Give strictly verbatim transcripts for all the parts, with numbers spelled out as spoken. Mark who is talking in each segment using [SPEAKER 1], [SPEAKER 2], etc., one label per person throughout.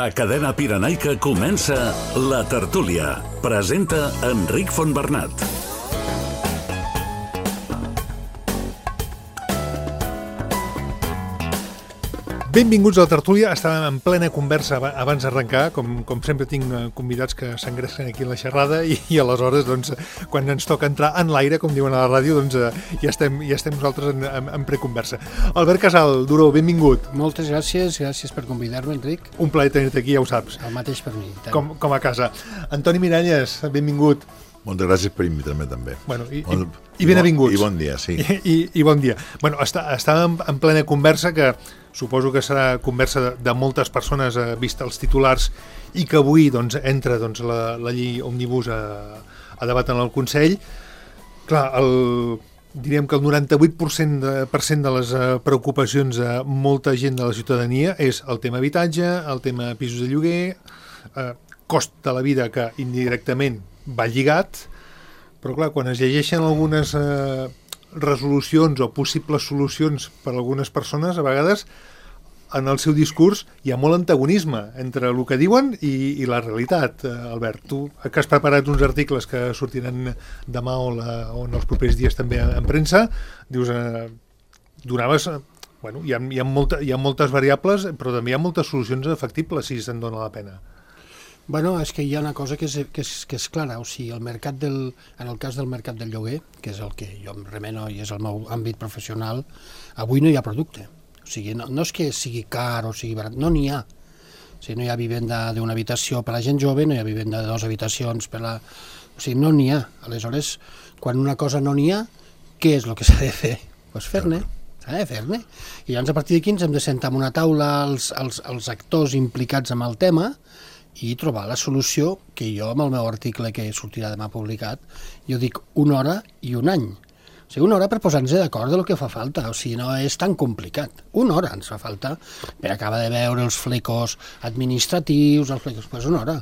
[SPEAKER 1] A Cadena Pirenaica comença La Tertúlia. Presenta Enric Fontbernat.
[SPEAKER 2] Benvinguts a La Tertúlia. Estàvem en plena conversa abans d'arrencar. Com, com sempre tinc convidats que s'engresquen aquí en la xerrada i, i aleshores, doncs, quan ens toca entrar en l'aire, com diuen a la ràdio, doncs ja estem, ja estem nosaltres en, en, en preconversa. Albert Casal, Duró, benvingut.
[SPEAKER 3] Moltes gràcies, gràcies per convidar-me, Enric.
[SPEAKER 2] Un plaer tenir-te aquí, ja ho saps.
[SPEAKER 3] El mateix per mi.
[SPEAKER 2] Com, com a casa. Antoni Miralles, benvingut.
[SPEAKER 4] Moltes gràcies per invitar-me també.
[SPEAKER 2] Bueno, i,
[SPEAKER 4] bon,
[SPEAKER 2] i, i ben avinguts.
[SPEAKER 4] I bon dia, sí.
[SPEAKER 2] I, i, i bon dia. Bueno, està, estàvem en plena conversa que suposo que serà conversa de, de moltes persones eh, vist els titulars i que avui doncs, entra doncs, la, la llei òmnibus a, a debat en el Consell. Clar, el, diríem que el noranta-vuit per cent de, per cent de les eh, preocupacions de molta gent de la ciutadania és el tema habitatge, el tema pisos de lloguer, eh, cost de la vida que indirectament va lligat, però clar, quan es llegeixen algunes eh, resolucions o possibles solucions per a algunes persones, a vegades en el seu discurs hi ha molt antagonisme entre el que diuen i, i la realitat. Eh, Albert, tu que has preparat uns articles que sortiran demà o, la, o en els propers dies també en premsa, dius, eh, donaves... Eh, bueno, hi ha, hi, ha molta, hi ha moltes variables, però també hi ha moltes solucions efectibles si se'n dona la pena.
[SPEAKER 3] Bueno, és que hi ha una cosa que és, que és, que és clara, o sigui, el mercat del, en el cas del mercat del lloguer, que és el que jo em remeno i és el meu àmbit professional, avui no hi ha producte. O sigui, no, no és que sigui car o sigui barat, no n'hi ha. O sigui, no hi ha vivenda d'una habitació per a la gent jove, no hi ha vivenda de dues habitacions per a la... O sigui, no n'hi ha. Aleshores, quan una cosa no n'hi ha, què és el que s'ha de fer? Doncs pues fer-ne. S'ha de fer-ne. I llavors, a partir d'aquí, ens hem de sentar en una taula els, els, els actors implicats en el tema i trobar la solució que jo, amb el meu article que sortirà demà publicat, jo dic una hora i un any. O sigui, una hora per posar-nos d'acord del que fa falta. O sigui, no és tan complicat. Una hora ens fa falta per acabar de veure els flecos administratius, els flecos... Pues una hora.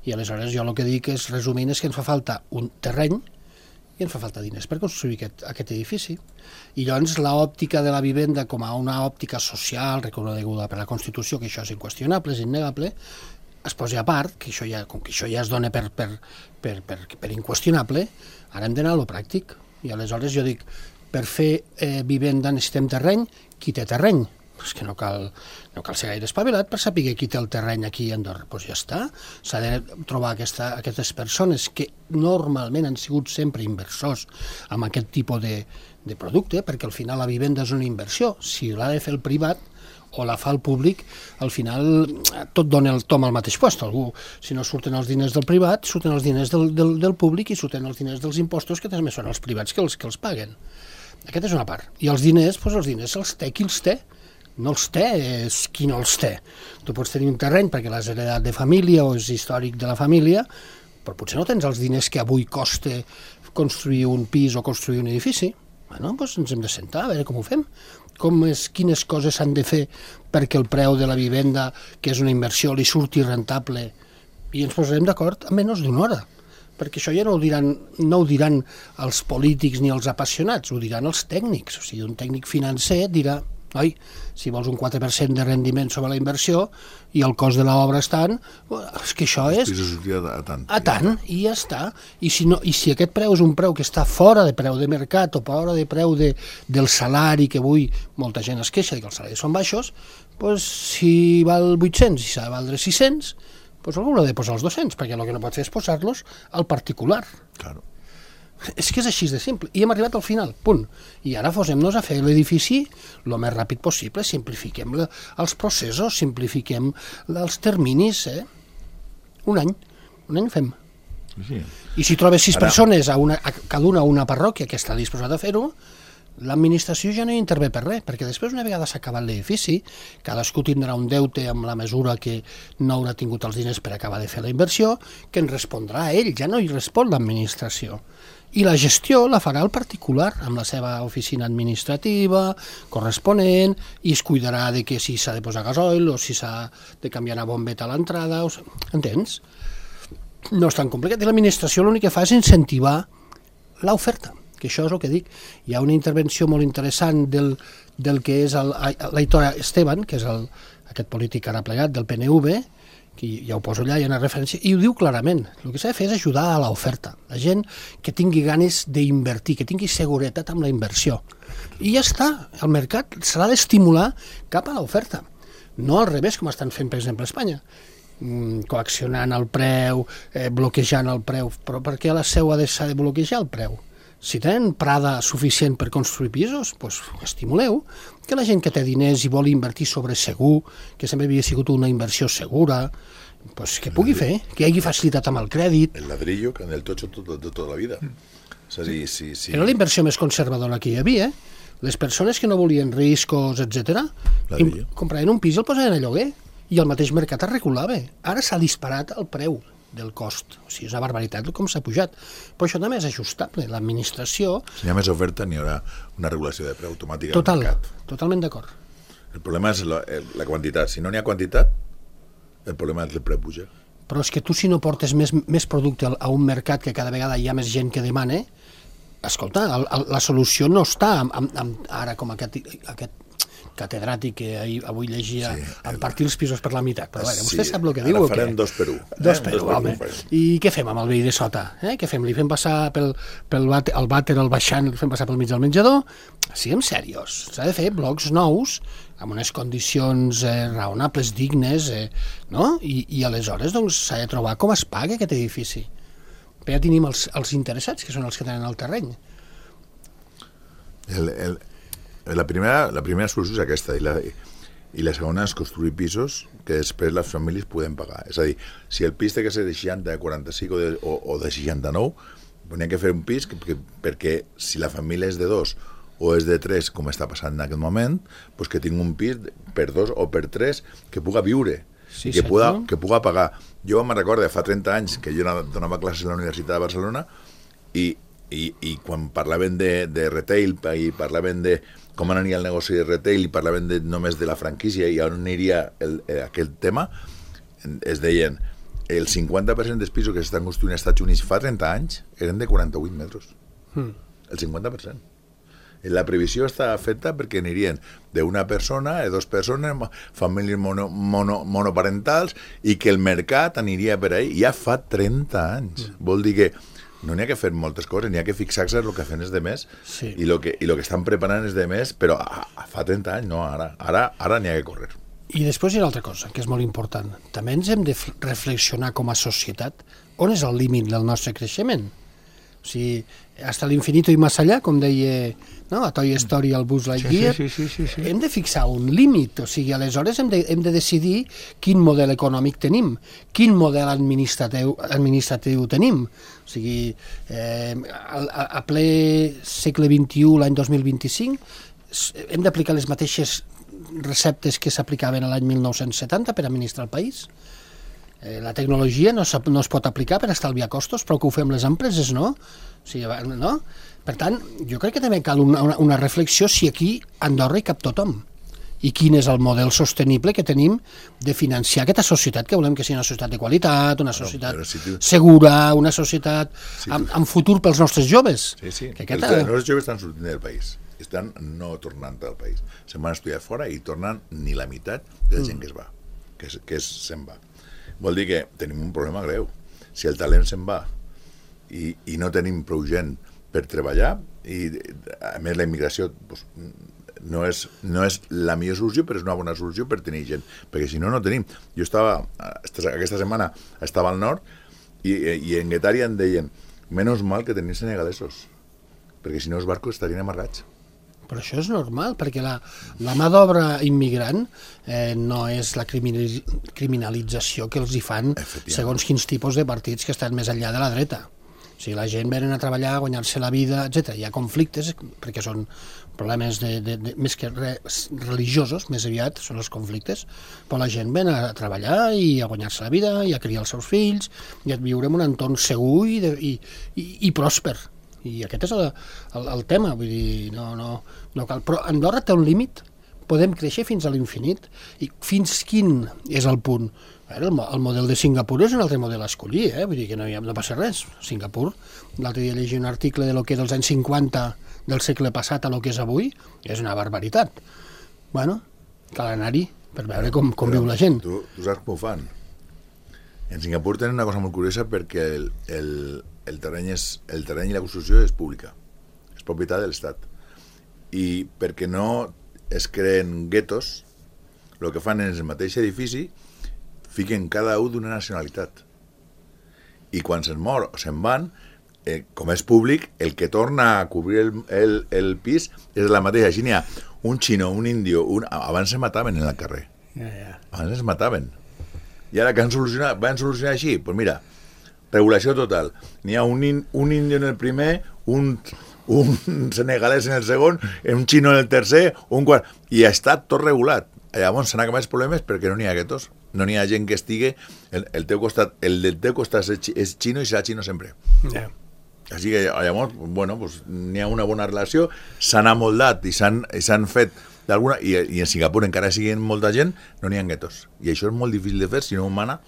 [SPEAKER 3] I aleshores jo el que dic és, resumint, és que ens fa falta un terreny i ens fa falta diners per construir aquest, aquest edifici. I llavors l'òptica de la vivenda com a una òptica social reconeguda per la Constitució, que això és inqüestionable, és innegable, es posi a part, que això ja, com que això ja es dona per, per, per, per, per inqüestionable, ara hem d'anar a lo pràctic. I aleshores jo dic, per fer eh, vivenda necessitem terreny, qui té terreny? És que no cal, no cal ser gaire espavilat per saber qui té el terreny aquí a Andorra. Doncs ja està. S'ha de trobar aquesta, aquestes persones que normalment han sigut sempre inversors amb aquest tipus de, de producte, perquè al final la vivenda és una inversió. Si l'ha de fer el privat o la fa el públic, al final tot dona el tom al mateix lloc. Algú, si no surten els diners del privat, surten els diners del, del, del públic i surten els diners dels impostos, que també són els privats que els, que els paguen. Aquesta és una part. I els diners, doncs els diners els té qui els té. No els té, és qui no els té. Tu pots tenir un terreny perquè l'has heredat de família o és històric de la família, però potser no tens els diners que avui costa construir un pis o construir un edifici. Bueno, doncs ens hem de sentar a veure com ho fem. Com és, quines coses s'han de fer perquè el preu de la vivenda, que és una inversió, li surti rentable, i ens posarem d'acord en menys d'una hora. Perquè això ja no ho diran, no ho diran els polítics ni els apassionats, ho diran els tècnics. O sigui, un tècnic financer dirà, oi, si vols un quatre per cent de rendiment sobre la inversió i el cost de l'obra és tant, és que això és...
[SPEAKER 4] A tant.
[SPEAKER 3] A tant, i ja està. I si, no, I si aquest preu és un preu que està fora de preu de mercat o fora de preu de, del salari, que avui molta gent es queixa que els salaris són baixos, doncs si val vuit-cents i s'ha de valdre sis-cents, doncs algú l'ha de posar els dos-cents, perquè el que no pot fer és posar-los al particular.
[SPEAKER 4] Claro.
[SPEAKER 3] És que és així de simple. I hem arribat al final, punt. I ara posem-nos a fer l'edifici el més ràpid possible, simplifiquem la, els processos, simplifiquem els terminis, eh? Un any. Un any fem.
[SPEAKER 4] Sí.
[SPEAKER 3] I si trobes sis
[SPEAKER 4] ara...
[SPEAKER 3] persones, a una, a cada una a una parròquia que està disposada a fer-ho, l'administració ja no hi intervé per res, perquè després, una vegada s'ha acabat l'edifici, cadascú tindrà un deute amb la mesura que no haurà tingut els diners per acabar de fer la inversió, que en respondrà a ell, ja no hi respon l'administració. I la gestió la farà el particular, amb la seva oficina administrativa, corresponent, i es cuidarà de que si s'ha de posar gasoil o si s'ha de canviar una bombeta a l'entrada, o... entens? No és tan complicat. I l'administració l'únic que fa és incentivar l'oferta, que això és el que dic. Hi ha una intervenció molt interessant del, del que és l'Aitor Esteban, que és el, aquest polític ara plegat del P N V, que ja ho poso allà, hi ha una referència, i ho diu clarament. El que s'ha de fer és ajudar a l'oferta. La gent que tingui ganes d'invertir, que tingui seguretat amb la inversió. I ja està, el mercat s'ha d'estimular cap a l'oferta. No al revés, com estan fent, per exemple, a Espanya. Coaccionant el preu, eh, bloquejant el preu. Però per què a la seu ha de, s'ha de bloquejar el preu? Si tenen prada suficient per construir pisos, doncs estimuleu que la gent que té diners i vol invertir sobre segur, que sempre havia sigut una inversió segura, doncs que pugui fer, que hi hagi facilitat amb el crèdit.
[SPEAKER 4] El ladrillo, que en el tocho de tot, tota la vida. És a dir, sí, sí.
[SPEAKER 3] Era la inversió més conservadora que hi havia. Les persones que no volien riscos, etcètera, compraven un pis i el posaven a lloguer, i el mateix mercat es regulava. Ara s'ha disparat el preu del cost. O sigui, és una barbaritat com s'ha pujat. Però això també és ajustable. L'administració...
[SPEAKER 4] Si hi ha més oferta, n'hi haurà una regulació de preu automàtica
[SPEAKER 3] Total,
[SPEAKER 4] al mercat.
[SPEAKER 3] Totalment d'acord.
[SPEAKER 4] El problema és la, la quantitat. Si no n'hi ha quantitat, el problema és el preu puja.
[SPEAKER 3] Però és que tu, si no portes més, més producte a un mercat que cada vegada hi ha més gent que demana, escolta, el, el, la solució no està amb, amb, amb, ara com aquest, aquest catedràtic que ahir, avui llegia sí, en partir els pisos per la meitat. Però veure, vostè sí, sap el que diu o què?
[SPEAKER 4] Ara farem dos per un.
[SPEAKER 3] Dos eh? per un, home. I què fem amb el veí de sota? Eh? Què fem? Li fem passar pel, pel vàter, el vàter, el baixant, li fem passar pel mig del menjador? Siguem serios. S'ha de fer blocs nous amb unes condicions eh, raonables, dignes, eh, no? I, i aleshores doncs, s'ha de trobar com es paga aquest edifici. Però ja tenim els, els interessats, que són els que tenen el terreny.
[SPEAKER 4] El... el... La primera, la primera solució és aquesta, i la, i la segona és construir pisos que després les famílies poden pagar. És a dir, si el pis té que ser de seixanta, de quaranta-cinc o de, o, o de seixanta-nou, n'hi ha que fer un pis que, que, perquè si la família és de dos o és de tres, com està passant en aquest moment, doncs que tingui un pis per dos o per tres que puga viure, sí, que, puga, que puga pagar. Jo me'n recordo, fa trenta anys, que jo donava classes a la Universitat de Barcelona i, i, i quan parlaven de, de retail i parlaven de com aniria el negoci de retail i parlaven de, només de la franquícia i on aniria el, eh, aquell tema, es deien el cinquanta per cent dels pisos que s'estan construint als Estats Units fa trenta anys eren de quaranta-vuit metres. Mm. El cinquanta per cent. La previsió està feta perquè anirien d'una persona, de dues persones, famílies mono, mono, monoparentals, i que el mercat aniria per ahí ja fa trenta anys. Mm. Vol dir que no n'hi ha que fer moltes coses, n'hi ha que fixar-se en el que fan els demés sí. i el que, i el que estan preparant els demés, però a, a, fa trenta anys, no, ara, ara, ara n'hi ha que córrer.
[SPEAKER 3] I després hi ha una altra cosa, que és molt important. També ens hem de reflexionar com a societat on és el límit del nostre creixement. O sigui, hasta l'infinito i més allà, com deia no? a Toy Story, el Buzz Lightyear, sí, sí, sí, sí, sí. hem de fixar un límit. O sigui, aleshores hem de, hem de decidir quin model econòmic tenim, quin model administratiu, administratiu tenim. O sigui, eh, a, a ple segle vint-i-u, l'any dos mil vint-i-cinc, hem d'aplicar les mateixes receptes que s'aplicaven a l'any mil nou-cents setanta per administrar el país. Eh, la tecnologia no, no es pot aplicar per estalviar costos, però que ho fem les empreses, no? O sigui, no? Per tant, jo crec que també cal una, una, una reflexió si aquí a Andorra hi cap tothom i quin és el model sostenible que tenim de financiar aquesta societat, que volem que sigui una societat de qualitat, una societat no, si tu... segura, una societat si tu... amb, amb futur pels nostres joves.
[SPEAKER 4] Sí, sí,
[SPEAKER 3] que
[SPEAKER 4] aquesta... els, els nostres joves estan sortint del país, estan no tornant al país, se'n van estudiar fora i tornen ni la meitat de la gent mm. que es va, que, és, que és, se'n va. Vol dir que tenim un problema greu. Si el talent se'n va i, i no tenim prou gent per treballar, i a més la immigració doncs, no, és, no és la millor solució, però és una bona solució per tenir gent, perquè si no, no tenim. Jo estava, aquesta setmana estava al nord i, i en Guetària em deien menys mal que tenim senegalesos, perquè si no els barcos estarien amarrats.
[SPEAKER 3] Però això és normal, perquè la, la mà d'obra immigrant eh, no és la criminalització que els hi fan segons quins tipus de partits que estan més enllà de la dreta. O sigui, la gent venen a treballar, a guanyar-se la vida, etcètera. Hi ha conflictes, perquè són problemes de, de, de, més que re, religiosos, més aviat són els conflictes, però la gent ven a treballar i a guanyar-se la vida, i a criar els seus fills, i a viure en un entorn segur i, de, i, i, i pròsper. I aquest és el, el, el tema, vull dir, no, no, no cal. Però Andorra té un límit, podem créixer fins a l'infinit, i fins quin és el punt? El, el model de Singapur és un altre model a escollir, eh? Vull dir que no, hi ha, no passa res. Singapur, l'altre dia llegia un article de lo que dels anys cinquanta del segle passat a lo que és avui, és una barbaritat. Bueno, cal anar-hi per veure com, com viu la gent.
[SPEAKER 4] Tu, tu saps com ho fan? En Singapur tenen una cosa molt curiosa perquè el, el, el, terreny és, el terreny i la construcció és pública, és propietat de l'Estat. I perquè no es creen guetos, el que fan en el mateix edifici, fiquen cada un d'una nacionalitat. I quan se'n mor o se'n van, eh, com és públic, el que torna a cobrir el, el, el pis és la mateixa. Així n'hi ha un xino, un índio, un... abans se mataven en el carrer.
[SPEAKER 3] Ja, ja.
[SPEAKER 4] Abans es mataven. I ara que han solucionat, van solucionar així, doncs pues mira, regulació total. N'hi ha un, in, un índio en el primer, un, un senegalès en el segon, un xino en el tercer, un quart... I està tot regulat. Llavors s'han acabat els problemes perquè no n'hi ha guetos. No n'hi ha gent que estigui... El, el, teu costat, el del teu costat és xino i serà xino sempre.
[SPEAKER 3] Yeah.
[SPEAKER 4] Així que llavors, bueno, pues, n'hi ha una bona relació, s'han amoldat i s'han fet d'alguna... I, I en Singapur encara siguen molta gent, no n'hi ha guetos. I això és molt difícil de fer si no ho mana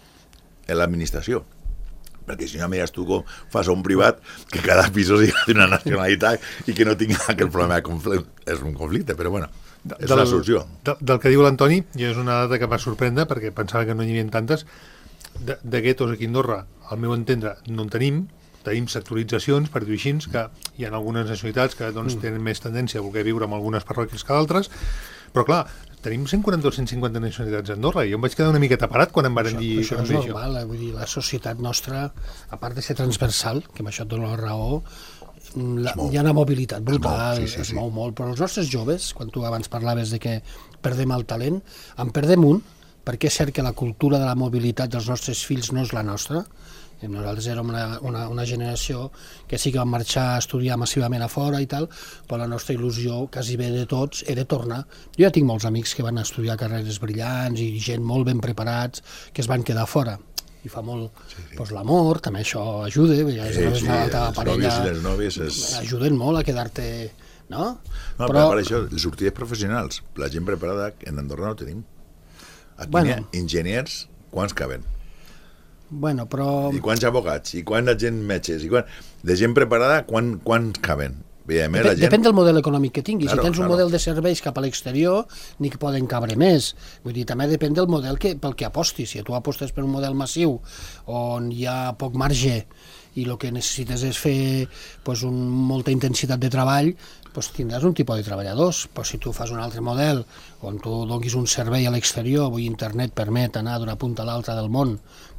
[SPEAKER 4] l'administració. Perquè si no mires tu com fas a un privat que cada pis sigui d'una nacionalitat i que no tingui aquell problema de conflicte. És un conflicte, però bueno, és del, una solució.
[SPEAKER 2] Del, del que diu l'Antoni, i és una dada que va sorprendre perquè pensava que no n'hi havia tantes, de, de guetos aquí a Andorra, al meu entendre, no en tenim, tenim sectoritzacions, per dir-ho així, que hi ha algunes nacionalitats que doncs, tenen més tendència a voler viure en algunes parròquies que d'altres, però clar, tenim cent quaranta o cent cinquanta nacionalitats a Andorra i jo em vaig quedar una miqueta parat quan em van
[SPEAKER 3] això,
[SPEAKER 2] dir...
[SPEAKER 3] Això és normal, eh? Vull dir, la societat nostra, a part de ser transversal, que amb això et dono la raó, la, hi ha una mobilitat brutal, es mou, sí, sí, es mou sí. molt, però els nostres joves, quan tu abans parlaves de que perdem el talent, en perdem un, perquè és cert que la cultura de la mobilitat dels nostres fills no és la nostra. Nosaltres érem una, una, una generació que sí que vam marxar a estudiar massivament a fora i tal, però la nostra il·lusió, quasi bé de tots, era tornar. Jo ja tinc molts amics que van estudiar carreres brillants i gent molt ben preparats que es van quedar fora. I fa molt... Sí, sí. Pues l'amor, també això ajuda, ja és
[SPEAKER 4] sí,
[SPEAKER 3] sí,
[SPEAKER 4] sí,
[SPEAKER 3] la teva parella...
[SPEAKER 4] Els nòvies i les nòvies és...
[SPEAKER 3] ajuden molt a quedar-te... No?
[SPEAKER 4] No, però per això, les sortides professionals, la gent preparada, en Andorra no tenim. Aquí bueno. N'hi ha enginyers, quants caben?
[SPEAKER 3] Bueno, però...
[SPEAKER 4] I quants abogats, i quants gent metges, i quan... de gent preparada, quan, quants caben? Bé,
[SPEAKER 3] Dep
[SPEAKER 4] la gent...
[SPEAKER 3] Depèn del model econòmic que tinguis.
[SPEAKER 4] Claro,
[SPEAKER 3] si tens un
[SPEAKER 4] claro.
[SPEAKER 3] model de serveis cap a l'exterior, ni que poden cabre més. Vull dir, també depèn del model que, pel que apostis. Si tu apostes per un model massiu, on hi ha poc marge, i el que necessites és fer pues, un, molta intensitat de treball, pues, tindràs un tipus de treballadors. Però si tu fas un altre model, on tu donis un servei a l'exterior, avui internet permet anar d'una punta a l'altra del món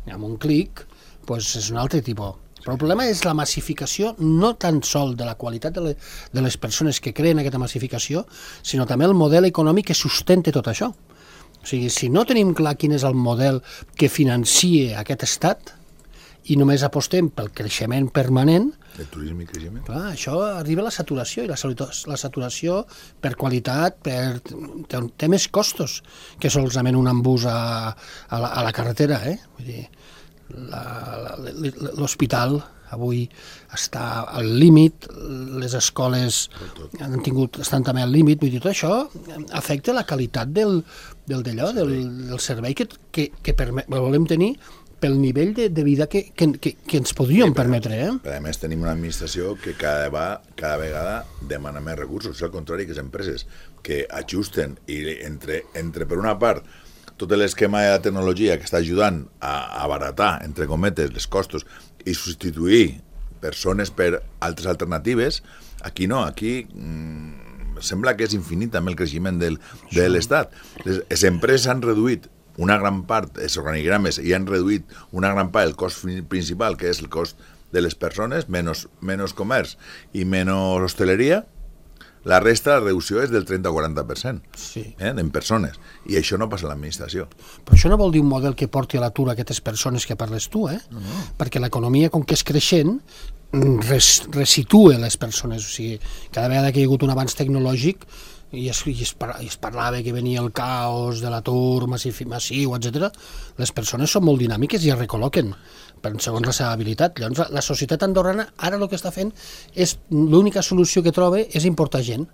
[SPEAKER 3] amb un clic, pues, és un altre tipus. Però el problema és la massificació, no tan sol de la qualitat de, le, de les persones que creen aquesta massificació, sinó també el model econòmic que sustenta tot això. O sigui, si no tenim clar quin és el model que financie aquest estat i només apostem pel creixement permanent,
[SPEAKER 4] el turisme i creixement.
[SPEAKER 3] Clar, això arriba a la saturació, i la, la saturació per qualitat per, té, té més costos que solament un embús a, a, la, a la carretera, eh? Vull dir, l'hospital avui està al límit, les escoles han tingut, estan també al límit, vull dir, tot això afecta la qualitat del, del, d'allò, del, del servei que, que, que permet, volem tenir pel nivell de, de vida que, que, que, que ens podríem sí, permetre. Eh?
[SPEAKER 4] Però a més tenim una administració que cada, va, cada vegada demana més recursos, és al contrari que les empreses que ajusten i entre, entre per una part tot l'esquema de la tecnologia que està ajudant a abaratar, entre cometes, els costos i substituir persones per altres alternatives, aquí no, aquí mmm, sembla que és infinit també el creixement del, de l'Estat. Les, les empreses han reduït una gran part, els organigrames, i han reduït una gran part el cost principal, que és el cost de les persones, menys, menys comerç i menys hosteleria. La resta, la reducció és del trenta o quaranta per cent
[SPEAKER 3] sí.
[SPEAKER 4] eh, en persones. I això no passa a l'administració.
[SPEAKER 3] Però això no vol dir un model que porti a l'atur aquestes persones que parles tu, eh? No, no. Perquè l'economia, com que és creixent, res, resitua les persones. O sigui, cada vegada que hi ha hagut un avanç tecnològic i es, i es, par, es parlava que venia el caos de l'atur massiu, massiu etcètera, les persones són molt dinàmiques i es recol·loquen per segons la seva habilitat. Llavors, la societat andorrana ara el que està fent és, l'única solució que troba és importar gent,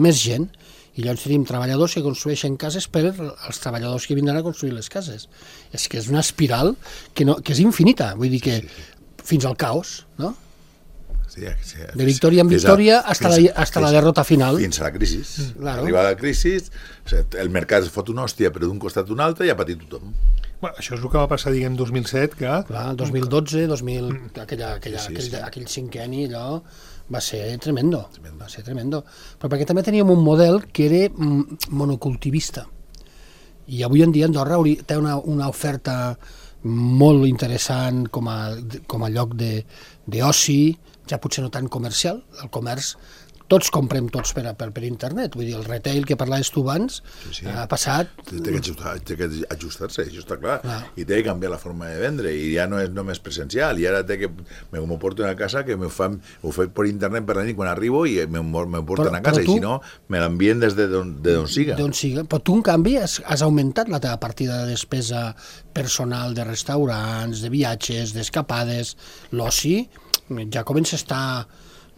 [SPEAKER 3] més gent, i llavors tenim treballadors que construeixen cases per als treballadors que vindran a construir les cases. És que és una espiral que, no, que és infinita, vull dir que fins al caos, no?
[SPEAKER 4] Sí, sí,
[SPEAKER 3] de victòria en victòria fins a, fins, hasta la derrota final.
[SPEAKER 4] Fins a la crisi.
[SPEAKER 3] Claro.
[SPEAKER 4] Arriba la crisi, el mercat es fot una hòstia per d'un costat a un altre i ha patit tothom.
[SPEAKER 2] Bueno, això és el que va passar, diguem, dos mil set, que...
[SPEAKER 3] Clar, dos mil dotze, dos mil... Aquella, aquella,
[SPEAKER 4] Sí, sí,
[SPEAKER 3] aquell,
[SPEAKER 4] sí.
[SPEAKER 3] aquell cinquenni, allò va ser tremendo, va ser tremendo. Però perquè també teníem un model que era mm, monocultivista. I avui en dia Andorra hauria, té una, una oferta molt interessant com a, com a lloc de, d'oci, ja potser no tan comercial. El comerç, tots comprem tots per, per, per internet, vull dir, el retail que parlaves tu abans
[SPEAKER 4] Sí, sí.
[SPEAKER 3] ha passat...
[SPEAKER 4] Té que ajustar- té que ajustar-se, això està clar.
[SPEAKER 3] Clar.
[SPEAKER 4] I té que canviar la forma de vendre, i ja no és només presencial, i ara té que... Me, m'ho porto a casa, que me fan, ho faig per internet per la nit quan arribo, i me, me porten
[SPEAKER 3] Però-
[SPEAKER 4] a casa,
[SPEAKER 3] però tu-
[SPEAKER 4] i si no, me l'envien des de d'on de d'on siga.
[SPEAKER 3] D'on siga. Però tu, en canvi, has, has augmentat la teva partida de despesa personal de restaurants, de viatges, d'escapades. L'oci ja comença a estar,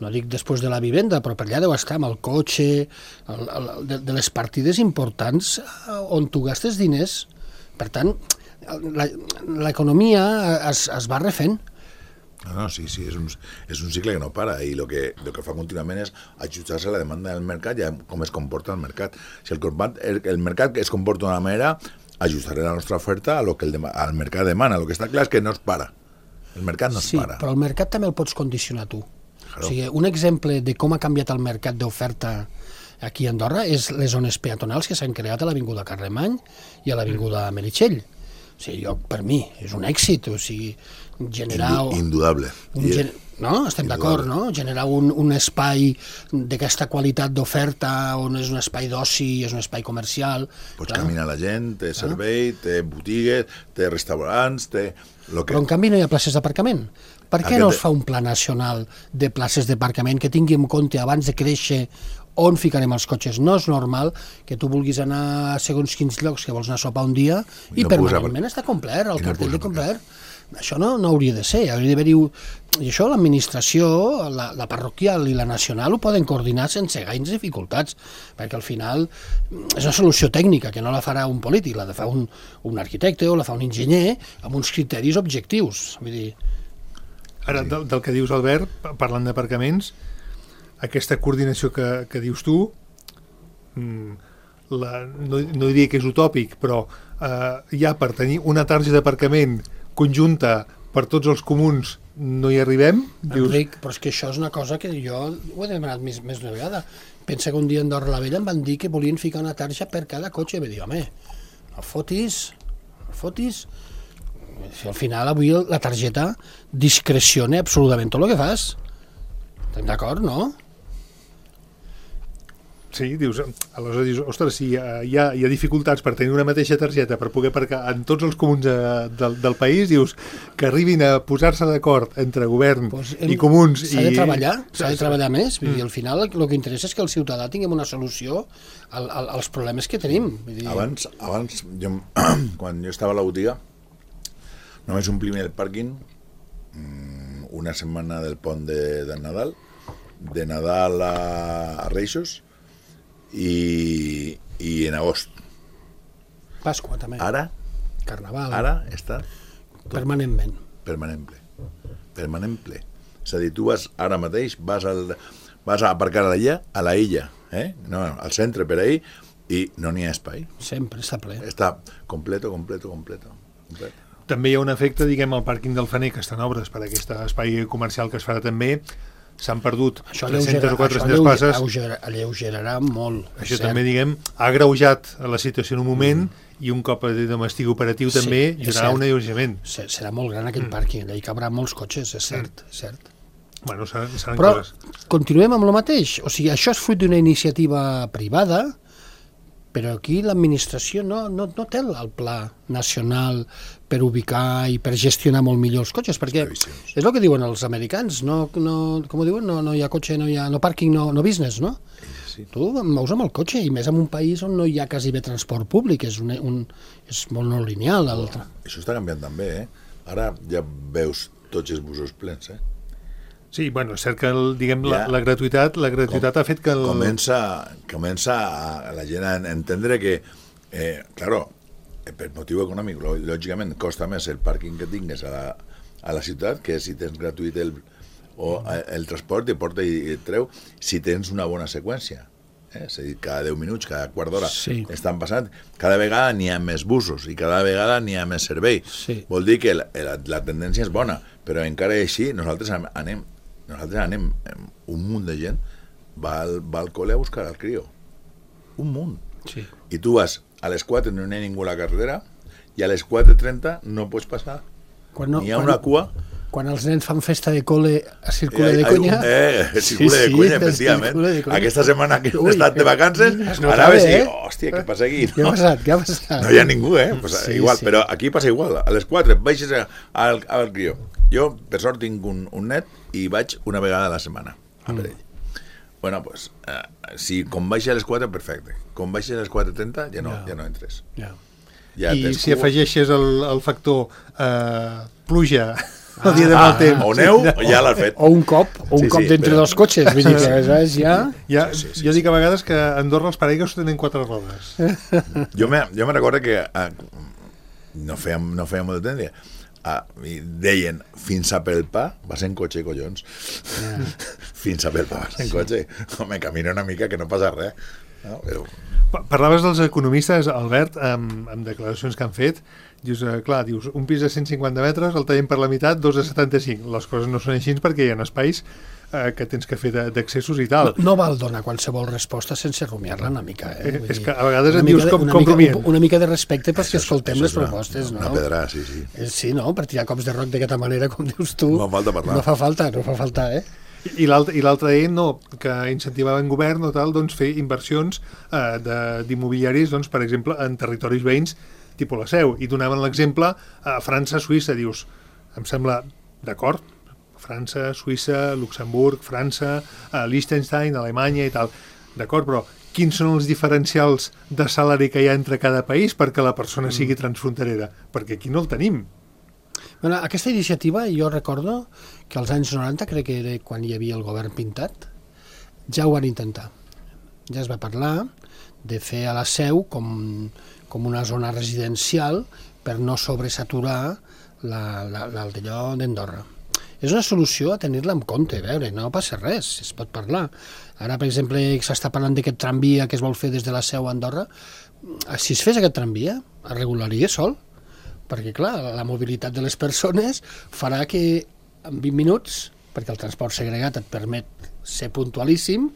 [SPEAKER 3] no dic després de la vivenda, però per allà deu estar amb el cotxe, el, el, de, de les partides importants eh, on tu gastes diners. Per tant, la- l'economia es, es va refent.
[SPEAKER 4] No, no, sí, sí, és un, és un cicle que no para, i el que, lo que fa contínuament és ajustar-se a la demanda del mercat i a com es comporta el mercat. Si el, compat- el, el mercat es comporta d'una manera, ajustaré la nostra oferta a lo que el, dema- al mercat demana. El que està clar és que no es para. El mercat no es
[SPEAKER 3] Sí,
[SPEAKER 4] para.
[SPEAKER 3] però el mercat també el pots condicionar tu.
[SPEAKER 4] Claro.
[SPEAKER 3] O sigui, un exemple de com ha canviat el mercat d'oferta aquí a Andorra és les zones peatonals que s'han creat a l'Avinguda Carlemany i a l'Avinguda Meritxell. O sigui, jo, per mi, és un èxit, o sigui, generar...
[SPEAKER 4] Indu indudable.
[SPEAKER 3] Un
[SPEAKER 4] I-
[SPEAKER 3] gen... No? Estem d'acord, no? Generar un, un espai d'aquesta qualitat d'oferta on és un espai d'oci, és un espai comercial...
[SPEAKER 4] Pots
[SPEAKER 3] clar.
[SPEAKER 4] caminar la gent, té servei, té botigues, té restaurants, té... Lo que...
[SPEAKER 3] Però en canvi no hi ha places d'aparcament. Per què
[SPEAKER 4] Aquest-
[SPEAKER 3] no es fa un pla nacional de places d'aparcament que tingui en compte abans de créixer on ficarem els cotxes? No és normal que tu vulguis anar a segons quins llocs que vols anar a sopar un dia i,
[SPEAKER 4] I no
[SPEAKER 3] permanentment
[SPEAKER 4] puguis
[SPEAKER 3] està complert, el
[SPEAKER 4] i no
[SPEAKER 3] cartell
[SPEAKER 4] puguis
[SPEAKER 3] de complert. Això no, no hauria de ser, hauria d'haver-hi... I això l'administració, la, la parroquial i la nacional ho poden coordinar sense gaires dificultats, perquè al final és una solució tècnica que no la farà un polític, la de fa un, un arquitecte o la fa un enginyer amb uns criteris objectius. Vull dir,
[SPEAKER 2] Ara, del, del que dius, Albert, pa- parlant d'aparcaments, aquesta coordinació que, que dius tu, mm, la, no, no diria que és utòpic, però eh, ja per tenir una targeta d'aparcament conjunta per tots els comuns no hi arribem? Dius,
[SPEAKER 3] Enric, però és que això és una cosa que jo ho he demanat més, més d'una vegada. Pensa que un dia a Andorra la Vella em van dir que volien ficar una tarja per cada cotxe. I vaig dir, home, no fotis, no fotis. Si al final avui la targeta discreciona absolutament tot el que fas. Estem d'acord, no?
[SPEAKER 2] sí, dius, aleshores dius, ostres, si hi ha, hi, ha, hi ha dificultats per tenir una mateixa targeta per poder aparcar en tots els comuns eh, del, del país, dius, que arribin a posar-se d'acord entre govern
[SPEAKER 3] Pues
[SPEAKER 2] i comuns.
[SPEAKER 3] S'ha de
[SPEAKER 2] i-
[SPEAKER 3] treballar, s'ha de
[SPEAKER 2] Sí, sí.
[SPEAKER 3] treballar més. Vull dir, al final el que interessa és que el ciutadà tinguem una solució al, al, als problemes que tenim. Vull dir,
[SPEAKER 4] Abans, abans jo, quan jo estava a la botiga, només omplim el pàrquing mm, una setmana del pont de, de Nadal, de Nadal a, a Reixos, i, i en agost.
[SPEAKER 3] Pasqua també,
[SPEAKER 4] Ara,
[SPEAKER 3] Carnaval,
[SPEAKER 4] ara està
[SPEAKER 3] permanentment.
[SPEAKER 4] permanent ple. Permanent ple. És a dir, tu vas ara mateix, vas, al, vas a aparcar a la illa, a la illa, eh? no, al centre per ahí, i no n'hi ha espai.
[SPEAKER 3] Sempre està ple.
[SPEAKER 4] Està completo, completo, completo. completo.
[SPEAKER 2] També hi ha un efecte, diguem, al pàrquing del Fener, que està en obres per aquest espai comercial que es farà també, s'han perdut
[SPEAKER 3] Això
[SPEAKER 2] tres-centes o
[SPEAKER 3] això
[SPEAKER 2] quatre-centes
[SPEAKER 3] alleuge-
[SPEAKER 2] places.
[SPEAKER 3] alleugerà, alleugerarà molt. és
[SPEAKER 2] Això
[SPEAKER 3] cert.
[SPEAKER 2] també, diguem, ha agreujat la situació en un moment mm. i un cop estigui operatiu
[SPEAKER 3] Sí,
[SPEAKER 2] també
[SPEAKER 3] és
[SPEAKER 2] hi haurà
[SPEAKER 3] cert.
[SPEAKER 2] un alleujament.
[SPEAKER 3] Se- Serà molt gran aquell pàrquing, allà hi cabrà molts cotxes, és cert, és cert.
[SPEAKER 2] Bueno, seran, seran
[SPEAKER 3] Però
[SPEAKER 2] coses.
[SPEAKER 3] continuem amb el mateix, o sigui, això és fruit d'una iniciativa privada, però aquí l'administració no, no, no té el pla nacional per ubicar i per gestionar molt millor els cotxes, perquè
[SPEAKER 4] previsions.
[SPEAKER 3] és el que diuen els americans, no, no, com ho diuen, no, no hi ha cotxe, no hi ha no pàrquing, no, no business, no?
[SPEAKER 4] Sí.
[SPEAKER 3] Tu em mous amb el cotxe, i més en un país on no hi ha quasi bé transport públic, és, un, un, és molt no lineal. El...
[SPEAKER 4] Això està canviant també, eh? Ara ja veus tots els busos plens, eh?
[SPEAKER 2] Sí, bueno, és cert que el, diguem, la,
[SPEAKER 4] Ja.
[SPEAKER 2] la gratuïtat la gratuïtat
[SPEAKER 4] Com-
[SPEAKER 2] ha fet que el...
[SPEAKER 4] Comença, comença a la gent a entendre que, eh, claro, eh, per motiu econòmic, lò- lògicament, costa més el pàrquing que tingues a la, a la ciutat que si tens gratuït el, o el transport, te porta i et treu, si tens una bona seqüència. eh? És a dir, cada deu minuts, cada quart d'hora
[SPEAKER 3] Sí.
[SPEAKER 4] estan passant, cada vegada n'hi ha més busos i cada vegada n'hi ha més servei.
[SPEAKER 3] Sí.
[SPEAKER 4] Vol dir que la, la, la tendència és bona, però encara així nosaltres anem, nosaltres anem, un munt de gent va al, va al col·le a buscar el crio. Un munt.
[SPEAKER 3] Sí.
[SPEAKER 4] I tu vas a les quatre, no hi ha ningú a la carretera, i a les quatre trenta no pots passar.
[SPEAKER 3] Quan no,
[SPEAKER 4] N'hi ha
[SPEAKER 3] quan,
[SPEAKER 4] una cua.
[SPEAKER 3] Quan els nens fan festa de col·le a Circule de
[SPEAKER 4] Eh,
[SPEAKER 3] Conya...
[SPEAKER 4] Eh, Circule de Conya, efectivament.
[SPEAKER 3] Circule de Conya.
[SPEAKER 4] Aquesta setmana que
[SPEAKER 3] Ui,
[SPEAKER 4] he estat de vacances,
[SPEAKER 3] es notava,
[SPEAKER 4] anaves i,
[SPEAKER 3] eh?
[SPEAKER 4] hòstia, què passa aquí?
[SPEAKER 3] Què ha passat? Què ha passat?
[SPEAKER 4] No hi ha ningú, eh? Pues,
[SPEAKER 3] Sí,
[SPEAKER 4] igual,
[SPEAKER 3] sí.
[SPEAKER 4] però aquí passa igual. A les quatre baixes a- al, al crió. Jo, per sort, tinc un, un net i vaig una vegada a la setmana a per ell. Bueno, pues, eh, si com baixa a les quatre, perfecte. Com baixa a les quatre trenta, ja no,
[SPEAKER 3] No.
[SPEAKER 4] ja no entres.
[SPEAKER 3] Ja.
[SPEAKER 4] Ja
[SPEAKER 2] I
[SPEAKER 4] tens
[SPEAKER 2] si
[SPEAKER 4] cua.
[SPEAKER 2] afegeixes el, el factor eh, pluja el dia de mal temps...
[SPEAKER 4] O neu, ja l'has fet.
[SPEAKER 3] O un cop, o un
[SPEAKER 4] Sí,
[SPEAKER 3] cop
[SPEAKER 4] sí,
[SPEAKER 3] d'entre
[SPEAKER 4] però-
[SPEAKER 3] dos cotxes, vull dir que aleshores ja...
[SPEAKER 2] Ja,
[SPEAKER 4] Sí, sí, sí,
[SPEAKER 2] jo
[SPEAKER 4] sí.
[SPEAKER 2] dic a vegades que a Andorra els paraigües tenen quatre rodes.
[SPEAKER 4] Jo me, jo me recordo que eh, no feia, no feia molt de temps, deia, ah, i deien, fins a Pelpa vas en cotxe, collons. Fins a Pelpa vas en cotxe. Home, camina una mica que no passa res. No? Però,
[SPEAKER 2] Pa- Parlaves dels economistes, Albert, amb, amb declaracions que han fet. Dius, eh, clar, dius, un pis de cent cinquanta metres el tallem per la meitat, dos de setanta-cinc. Les coses no són així perquè hi ha espais eh, que tens que fer de- d'accessos i tal.
[SPEAKER 3] No, no val donar qualsevol resposta sense rumiar-la una mica. Eh?
[SPEAKER 2] Eh,
[SPEAKER 3] Vull
[SPEAKER 2] és
[SPEAKER 3] dir,
[SPEAKER 2] que a vegades
[SPEAKER 3] una
[SPEAKER 2] et
[SPEAKER 3] mica
[SPEAKER 2] dius
[SPEAKER 3] de-
[SPEAKER 2] com-
[SPEAKER 3] una
[SPEAKER 2] com
[SPEAKER 3] mica-
[SPEAKER 2] rumien.
[SPEAKER 3] Una mica de respecte perquè
[SPEAKER 4] això-
[SPEAKER 3] escoltem
[SPEAKER 4] això
[SPEAKER 3] les
[SPEAKER 4] és una-
[SPEAKER 3] propostes,
[SPEAKER 4] una,
[SPEAKER 3] no?
[SPEAKER 4] Una pedra, sí, sí.
[SPEAKER 3] Eh, Sí, no? Per tirar cops de roc d'aquesta manera, com dius tu,
[SPEAKER 4] No fa falta parlar.
[SPEAKER 3] no fa falta, no fa falta, eh?
[SPEAKER 2] I l'altre i l'altre ell no, que incentivava en govern o tal, doncs fer inversions eh, de- d'immobiliaris, doncs, per exemple, en territoris veïns tipus la Seu, i donaven l'exemple a França, Suïssa, dius, em sembla d'acord, França, Suïssa, Luxemburg, França, eh, Liechtenstein, Alemanya i tal, d'acord, però quins són els diferencials de salari que hi ha entre cada país perquè la persona sigui transfronterera? Perquè aquí no el tenim.
[SPEAKER 3] Bueno, aquesta iniciativa jo recordo que als anys noranta, crec que era quan hi havia el govern pintat, ja ho van intentar. Ja es va parlar de fer a la Seu com, com una zona residencial per no sobresaturar la, la, la, el d'allò d'Andorra. És una solució a tenir-la en compte, a veure, no passa res, es pot parlar. Ara, per exemple, s'està parlant d'aquest tramvia que es vol fer des de la Seu a Andorra. Si es fes aquest tramvia, es regularia sol, perquè, clar, la mobilitat de les persones farà que en vint minuts, perquè el transport segregat et permet ser puntualíssim,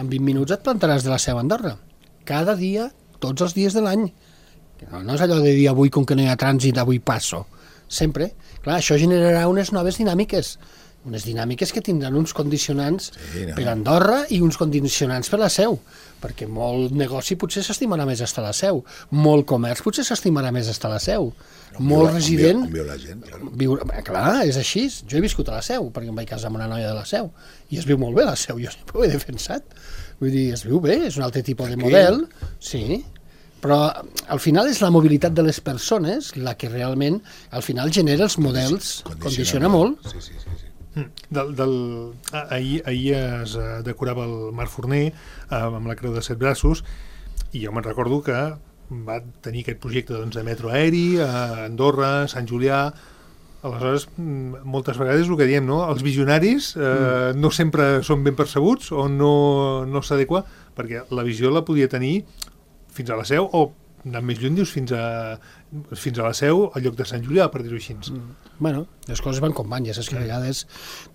[SPEAKER 3] en vint minuts et plantaràs de la Seu a Andorra. Cada dia, tots els dies de l'any. No, no és allò de dir avui, com que no hi ha trànsit, avui passo. Sempre. Clar, això generarà unes noves dinàmiques. Unes dinàmiques que tindran uns condicionants
[SPEAKER 4] Sí, no.
[SPEAKER 3] per Andorra i uns condicionants per la Seu, perquè molt negoci potser s'estimarà més estar a la Seu, molt comerç potser s'estimarà més estar a la Seu, molt resident...
[SPEAKER 4] On viu la gent, claro.
[SPEAKER 3] Viure, bé, clar, és així. Jo he viscut a la Seu, perquè em vaig casar amb una noia de la Seu, i es viu molt bé a la Seu, jo sempre ho he defensat. Vull dir, es viu bé, és un altre tipus de
[SPEAKER 4] Aquí?
[SPEAKER 3] model, sí, però al final és la mobilitat de les persones la que realment, al final, genera els models, condiciona molt.
[SPEAKER 4] Sí, sí, sí. sí.
[SPEAKER 2] Del, del, ah, ahir, ahir es eh, decorava el Marc Forner eh, amb la Creu de Set Braços i jo me'n recordo que va tenir aquest projecte doncs, de metro aeri a Andorra, Sant Julià. Aleshores, mm, moltes vegades el que diem, no? Els visionaris eh, no sempre són ben percebuts o no, no s'adequa, perquè la visió la podia tenir fins a la Seu o anant més lluny, dius, fins a, fins a la Seu al lloc de Sant Julià, per dir-ho així.
[SPEAKER 3] Bueno, les coses van com van, ja saps que a vegades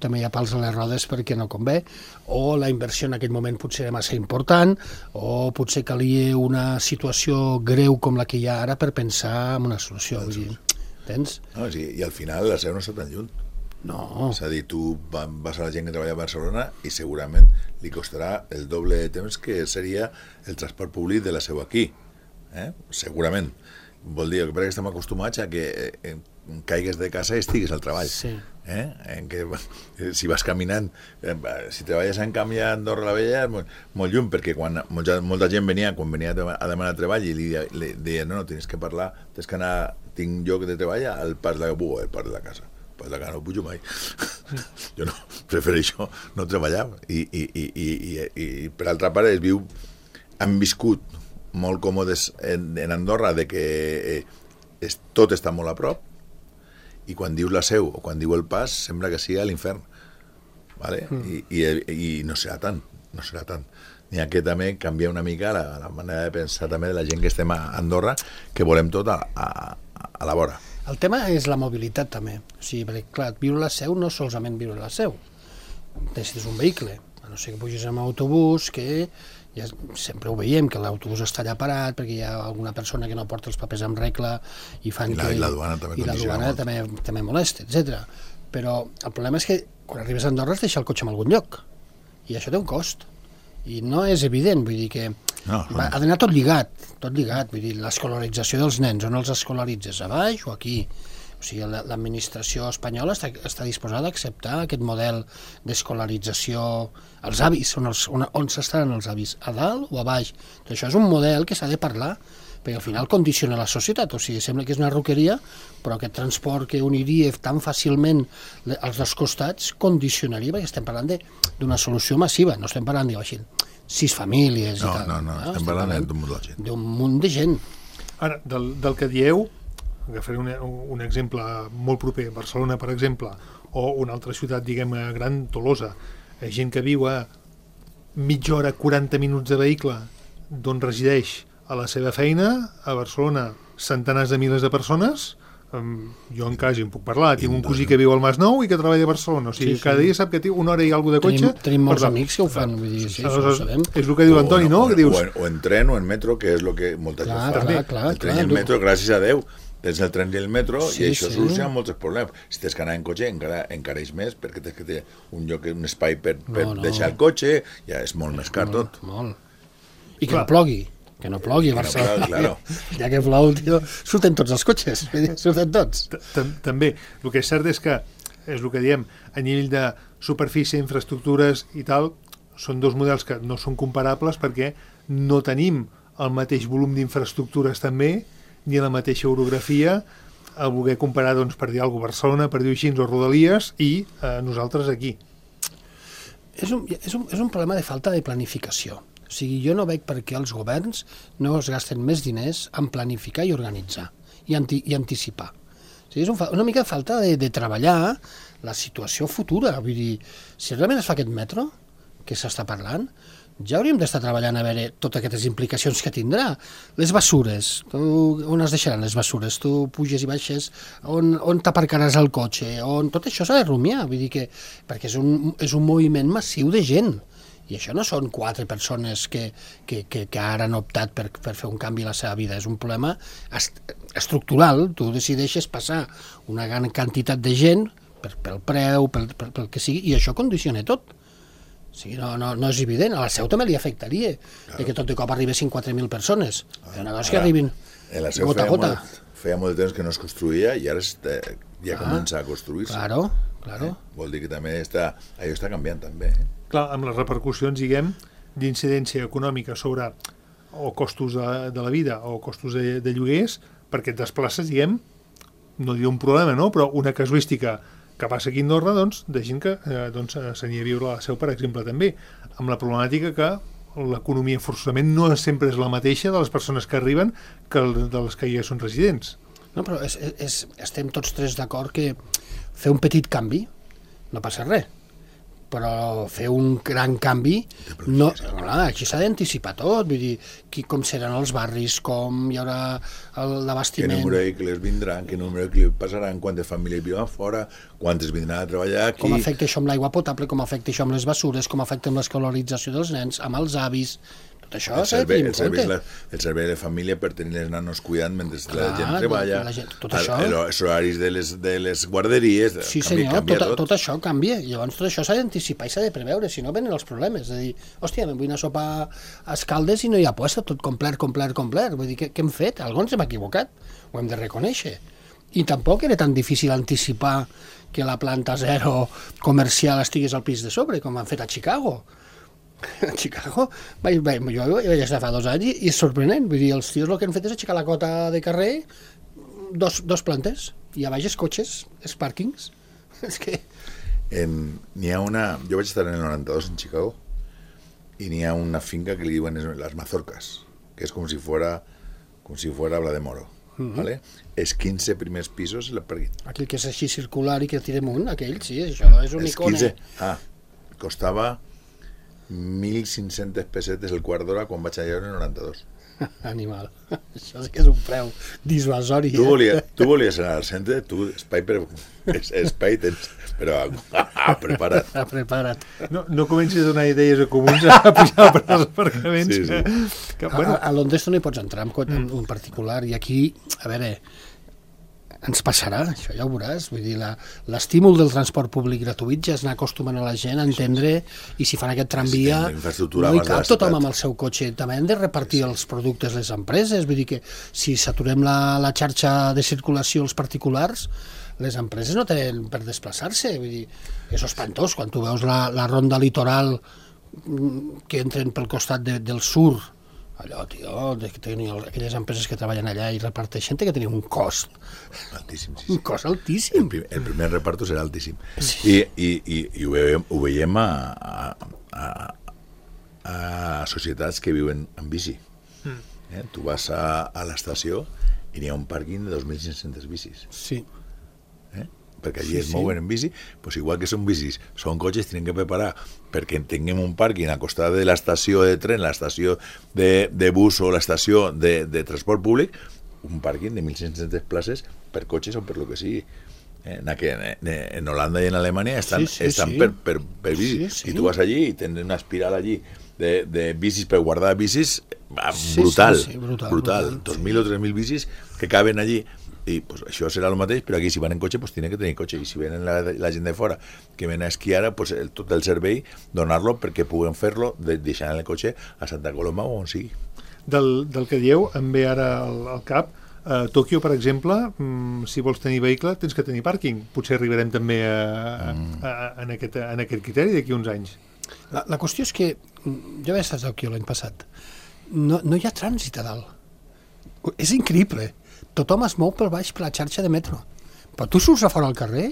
[SPEAKER 3] també hi ha pals a les rodes perquè no convé, o la inversió en aquell moment potser era massa important, o potser calia una situació greu com la que hi ha ara per pensar en una solució. Vull dir, entens?
[SPEAKER 4] No, sí, i al final la Seu no està tan lluny.
[SPEAKER 3] No.
[SPEAKER 4] És a dir, tu va- vas a la gent que treballa a Barcelona i segurament li costarà el doble de temps que seria el transport públic de la Seu aquí. Eh? Segurament. Vol dir que perquè estem acostumats a que eh, caigues de casa i estigues al treball.
[SPEAKER 3] Sí.
[SPEAKER 4] Eh? En que, eh, si vas caminant, eh, si treballes en canvi a Andorra la Vella, és molt, molt lluny, perquè quan molta, molta gent venia, quan venia a demanar treball i li, li deia, no, no, tens que parlar, tens que anar, tinc lloc de treball al pas de la Bugo, al pas de la casa. Pas de la casa no pujo mai. Jo no, prefereixo no treballar. I, i, i, i, i, i per altra part, es viu, han viscut molt còmodes en, en Andorra de que eh, es, tot està molt a prop i quan dius la Seu o quan diu el Pas sembla que sigui a l'infern, vale? Mm. I, i, i no serà tant, no serà tant. n'hi ha que també canviar una mica la, la manera de pensar també de la gent que estem a Andorra, que volem tot a, a, a la vora.
[SPEAKER 3] El tema és la mobilitat també. O sigui, perquè, clar, viure a la Seu no solament viure a la Seu. Necessites un vehicle. A no ser que pugis amb autobús, que ja sempre ho veiem, que l'autobús està allà parat perquè hi ha alguna persona que no porta els papers en regla i fan
[SPEAKER 4] I la,
[SPEAKER 3] que...
[SPEAKER 4] i la duana també
[SPEAKER 3] i la
[SPEAKER 4] condiciona
[SPEAKER 3] duana
[SPEAKER 4] molt.
[SPEAKER 3] també, també molesta, etcètera. Però el problema és que quan arribes a Andorra has de deixar el cotxe en algun lloc. I això té un cost. I no és evident, vull dir que
[SPEAKER 4] No,
[SPEAKER 3] va, ha d'anar tot lligat, tot lligat, vull dir, l'escolarització dels nens, on els escolaritzes, a baix o aquí? O sigui, l'administració espanyola està, està disposada a acceptar aquest model d'escolarització, els avis, on, els, on, on s'estaran els avis, a dalt o a baix? Doncs això és un model que s'ha de parlar, perquè al final condiciona la societat, o sigui, sembla que és una roqueria, però aquest transport que uniria tan fàcilment als dos costats condicionaria, perquè estem parlant d'una solució massiva, no estem parlant, diu així, sis famílies
[SPEAKER 4] No,
[SPEAKER 3] i tal.
[SPEAKER 4] no, no, estem, estem parlant, parlant d'un munt de gent.
[SPEAKER 3] D'un munt de gent.
[SPEAKER 2] Ara, del, del que dieu, agafaré un, un exemple molt proper, Barcelona, per exemple, o una altra ciutat, diguem, gran, Tolosa, gent que viu a mitja hora, quaranta minuts de vehicle d'on resideix a la seva feina, a Barcelona, centenars de milers de persones. Um, jo en casa en puc parlar, tinc un cosí que viu al Masnou i que treballa a Barcelona, o sigui, sí, sí. cada dia sap que té una hora i alguna de cotxe.
[SPEAKER 3] Tenim, tenim molts
[SPEAKER 2] Perdó.
[SPEAKER 3] amics que ho fan, vull dir, sí, això ho sabem.
[SPEAKER 2] És el que diu l'Antoni, no?
[SPEAKER 4] O,
[SPEAKER 2] Que dius...
[SPEAKER 4] o, en, o en tren o en metro, que és el que molta
[SPEAKER 3] Clar,
[SPEAKER 4] gent fa.
[SPEAKER 3] clar, clar,
[SPEAKER 4] el tren
[SPEAKER 3] clar,
[SPEAKER 4] i el
[SPEAKER 3] tu-
[SPEAKER 4] metro, gràcies a Déu, tens el tren i el metro,
[SPEAKER 3] Sí,
[SPEAKER 4] i això
[SPEAKER 3] sí.
[SPEAKER 4] soluciona molts problemes. Si tens que anar en cotxe, encara encareix més, perquè tens que tenir un lloc, un espai per, per
[SPEAKER 3] No, no.
[SPEAKER 4] deixar el cotxe, ja és molt més car tot.
[SPEAKER 3] Molt. I que
[SPEAKER 2] Clar.
[SPEAKER 3] no plogui, que no plogui a
[SPEAKER 4] no
[SPEAKER 3] Barcelona.
[SPEAKER 4] plogui, claro.
[SPEAKER 3] Ja que plou, tio, surten tots els cotxes, vull dir, surten tots.
[SPEAKER 2] Tam- També, el que és cert és que, és el que diem, a nivell de superfície, infraestructures i tal, són dos models que no són comparables perquè no tenim el mateix volum d'infraestructures també, ni la mateixa orografia, a voler comparar, doncs, per dir alguna cosa, Barcelona, per dir-ho així, o Rodalies, i eh, nosaltres aquí.
[SPEAKER 3] És un, és, un, és un problema de falta de planificació. O sigui, jo no veig per què els governs no es gasten més diners en planificar i organitzar i, anti, i anticipar. O sigui, és un, fa- una mica de falta de, de treballar la situació futura. Vull dir, si realment es fa aquest metro que s'està parlant, ja hauríem d'estar treballant a veure totes aquestes implicacions que tindrà. Les bessures, tu, on es deixaran les bessures? Tu puges i baixes, on, on t'aparcaràs el cotxe? On... Tot això s'ha de rumiar, vull dir que, perquè és un, és un moviment massiu de gent. I això no són quatre persones que, que, que, que ara han optat per, per fer un canvi a la seva vida, és un problema est estructural. Tu decideixes passar una gran quantitat de gent per, pel preu, pel, pel, pel que sigui, i això condiciona tot. O sigui, no, no, no és evident. A la Seu també li afectaria, claro, de que tot de cop arribessin quatre mil persones. Ah, una cosa que arribin
[SPEAKER 4] En la Seu
[SPEAKER 3] gota a
[SPEAKER 4] feia
[SPEAKER 3] gota.
[SPEAKER 4] molt, feia molt de temps que no es construïa i ara està, ja
[SPEAKER 3] Ah,
[SPEAKER 4] comença a construir-se.
[SPEAKER 3] Claro, claro.
[SPEAKER 4] Eh? Vol dir que també està, allò està canviant també. Eh?
[SPEAKER 2] Clar, amb les repercussions, diguem, d'incidència econòmica sobre o costos de, de la vida o costos de, de lloguers, perquè et desplaces, diguem, no diu un problema, no? Però una casuística que passa aquí a Andorra, doncs, de gent que eh, doncs, s'anirà a viure a la Seu, per exemple, també, amb la problemàtica que l'economia forçosament no sempre és la mateixa de les persones que arriben que el, de les que ja són residents.
[SPEAKER 3] No, però és, és, estem tots tres d'acord que fer un petit canvi no passa res, però fer un gran canvi no, clar, aquí s'ha d'anticipar tot, vull dir, qui, com seran els barris, com hi haurà
[SPEAKER 4] Què
[SPEAKER 3] l'abastiment.
[SPEAKER 4] número de vehicles vindran, què número de vehicles passaran, quantes famílies viuen fora, quantes vindran a treballar aquí...
[SPEAKER 3] Com afecta això amb l'aigua potable, com afecta això amb les bessures, com afecta amb l'escolarització dels nens, amb els avis. Tot això
[SPEAKER 4] el
[SPEAKER 3] s'ha de
[SPEAKER 4] servei,
[SPEAKER 3] tenir
[SPEAKER 4] el,
[SPEAKER 3] en
[SPEAKER 4] servei,
[SPEAKER 3] compte.
[SPEAKER 4] la, el servei de família per tenir les nanos cuidant mentre
[SPEAKER 3] Clar,
[SPEAKER 4] la gent treballa,
[SPEAKER 3] la gent- tot
[SPEAKER 4] el-
[SPEAKER 3] això.
[SPEAKER 4] el- els horaris de les, de les guarderies,
[SPEAKER 3] Sí,
[SPEAKER 4] canvia,
[SPEAKER 3] senyor,
[SPEAKER 4] canvia
[SPEAKER 3] tot,
[SPEAKER 4] tot.
[SPEAKER 3] tot això canvia. Llavors tot això s'ha d'anticipar i s'ha de preveure, si no venen els problemes. És a dir, hòstia, me'n vull anar a sopar a Escaldes i no hi ha puesto, tot complet, complet, complet. Vull dir, què, què hem fet? Algú ens hem equivocat. Ho hem de reconèixer. I tampoc era tan difícil anticipar que la planta zero comercial estigués al pis de sobre, com han fet a Chicago. A Chicago, vaig, vaig, jo hi vaig estar fa dos anys i, i és sorprenent. Vull dir, els tios el que han fet és aixecar la cota de carrer, dos, dos plantes, i a baix els cotxes, els pàrquings. És que...
[SPEAKER 4] En- N'hi ha una... Jo vaig estar en el noranta-dos en Chicago i n'hi ha una finca que li diuen es- las mazorcas, que és com si fuera com si fuera Bla de Moro.
[SPEAKER 3] Mhm.
[SPEAKER 4] ¿Vale? Els quinze primers pisos el parquet.
[SPEAKER 3] Aquell que és així circular i que tira amunt, aquell, sí, això és un
[SPEAKER 4] Els
[SPEAKER 3] icone.
[SPEAKER 4] quinze... Ah, costava mil cinc-centes pessetes el quart d'hora quan vaig allà en noranta-dos.
[SPEAKER 3] Animal. Això sí que és un preu dissuasori.
[SPEAKER 4] Tu,
[SPEAKER 3] eh?
[SPEAKER 4] volia, tu volies anar al centre, tu espai, per, es, espai tens, però ah, prepara't.
[SPEAKER 3] Ah, prepara't.
[SPEAKER 2] No, no comencis a donar idees a comuns a pujar per als aparcaments.
[SPEAKER 4] Sí, sí.
[SPEAKER 2] Que, que,
[SPEAKER 3] A,
[SPEAKER 2] bueno,
[SPEAKER 3] a Londres tu no hi pots entrar amb cotxe, en un particular, i aquí, a veure, ens passarà, això ja ho veuràs. Vull dir, la- l'estímul del transport públic gratuït ja és anar acostumant a la gent a entendre, i si fan aquest tramvia,
[SPEAKER 4] Sí, la infraestructura
[SPEAKER 3] no hi
[SPEAKER 4] abans de la
[SPEAKER 3] cap tothom
[SPEAKER 4] ciutat.
[SPEAKER 3] amb el seu cotxe. També hem de repartir els productes les empreses. Vull dir que si saturem la, la xarxa de circulació als particulars, les empreses no tenen per desplaçar-se. Vull dir, és espantós quan tu veus la, la ronda litoral mm, que entren pel costat de, del sur. Allò, tio, de que tenir aquelles empreses que treballen allà i reparteixen, té que tenir un cost,
[SPEAKER 4] Altíssim, sí,
[SPEAKER 3] un
[SPEAKER 4] sí.
[SPEAKER 3] cost
[SPEAKER 4] El,
[SPEAKER 3] altíssim.
[SPEAKER 4] prim, el primer reparto serà altíssim. I, i, i, i ho veiem, ho veiem a, a, a, a societats que viuen en bici. Eh? Tu vas a, a l'estació i n'hi ha un pàrquing de dos mil cinc-centes bicis.
[SPEAKER 3] Sí.
[SPEAKER 4] Eh? Perquè allí
[SPEAKER 3] Sí,
[SPEAKER 4] sí, es
[SPEAKER 3] sí.
[SPEAKER 4] mouen en bici, pues igual que són bicis, són cotxes, tenen que preparar perquè tinguem un pàrquing a costat de l'estació de tren, l'estació de, de bus o l'estació de, de transport públic, un pàrquing de mil cinc-centes places per cotxes o per lo que sigui. Eh, En, aqu- en, en Holanda i en Alemanya estan,
[SPEAKER 3] Sí, sí,
[SPEAKER 4] estan
[SPEAKER 3] sí.
[SPEAKER 4] per, per, per bici.
[SPEAKER 3] Sí, sí.
[SPEAKER 4] I tu vas allí i tens una espiral allí de, de bicis per guardar bicis ah,
[SPEAKER 3] Sí,
[SPEAKER 4] brutal,
[SPEAKER 3] sí, sí, brutal,
[SPEAKER 4] brutal.
[SPEAKER 3] brutal,
[SPEAKER 4] dos mil o tres mil bicis que caben allí. I pues, això serà el mateix, però aquí si van en cotxe pues tienen que tenir cotxe, i si venen la, la gent de fora que ven a esquiar, pues el, tot el servei donar-lo perquè puguen fer-lo de, deixant el cotxe a Santa Coloma o on sigui.
[SPEAKER 2] del, del que dieu em ve ara al, al cap. A Tòquio, per exemple, mm, si vols tenir vehicle tens que tenir pàrquing. Potser arribarem també a, a, a, en, aquest, en aquest criteri d'aquí uns anys.
[SPEAKER 3] La, la qüestió és que, mm, jo vaig estar a Tòquio l'any passat, no, no hi ha trànsit a dalt. És increïble. Tothom es mou per baix per la xarxa de metro. Però tu surts a fora al carrer,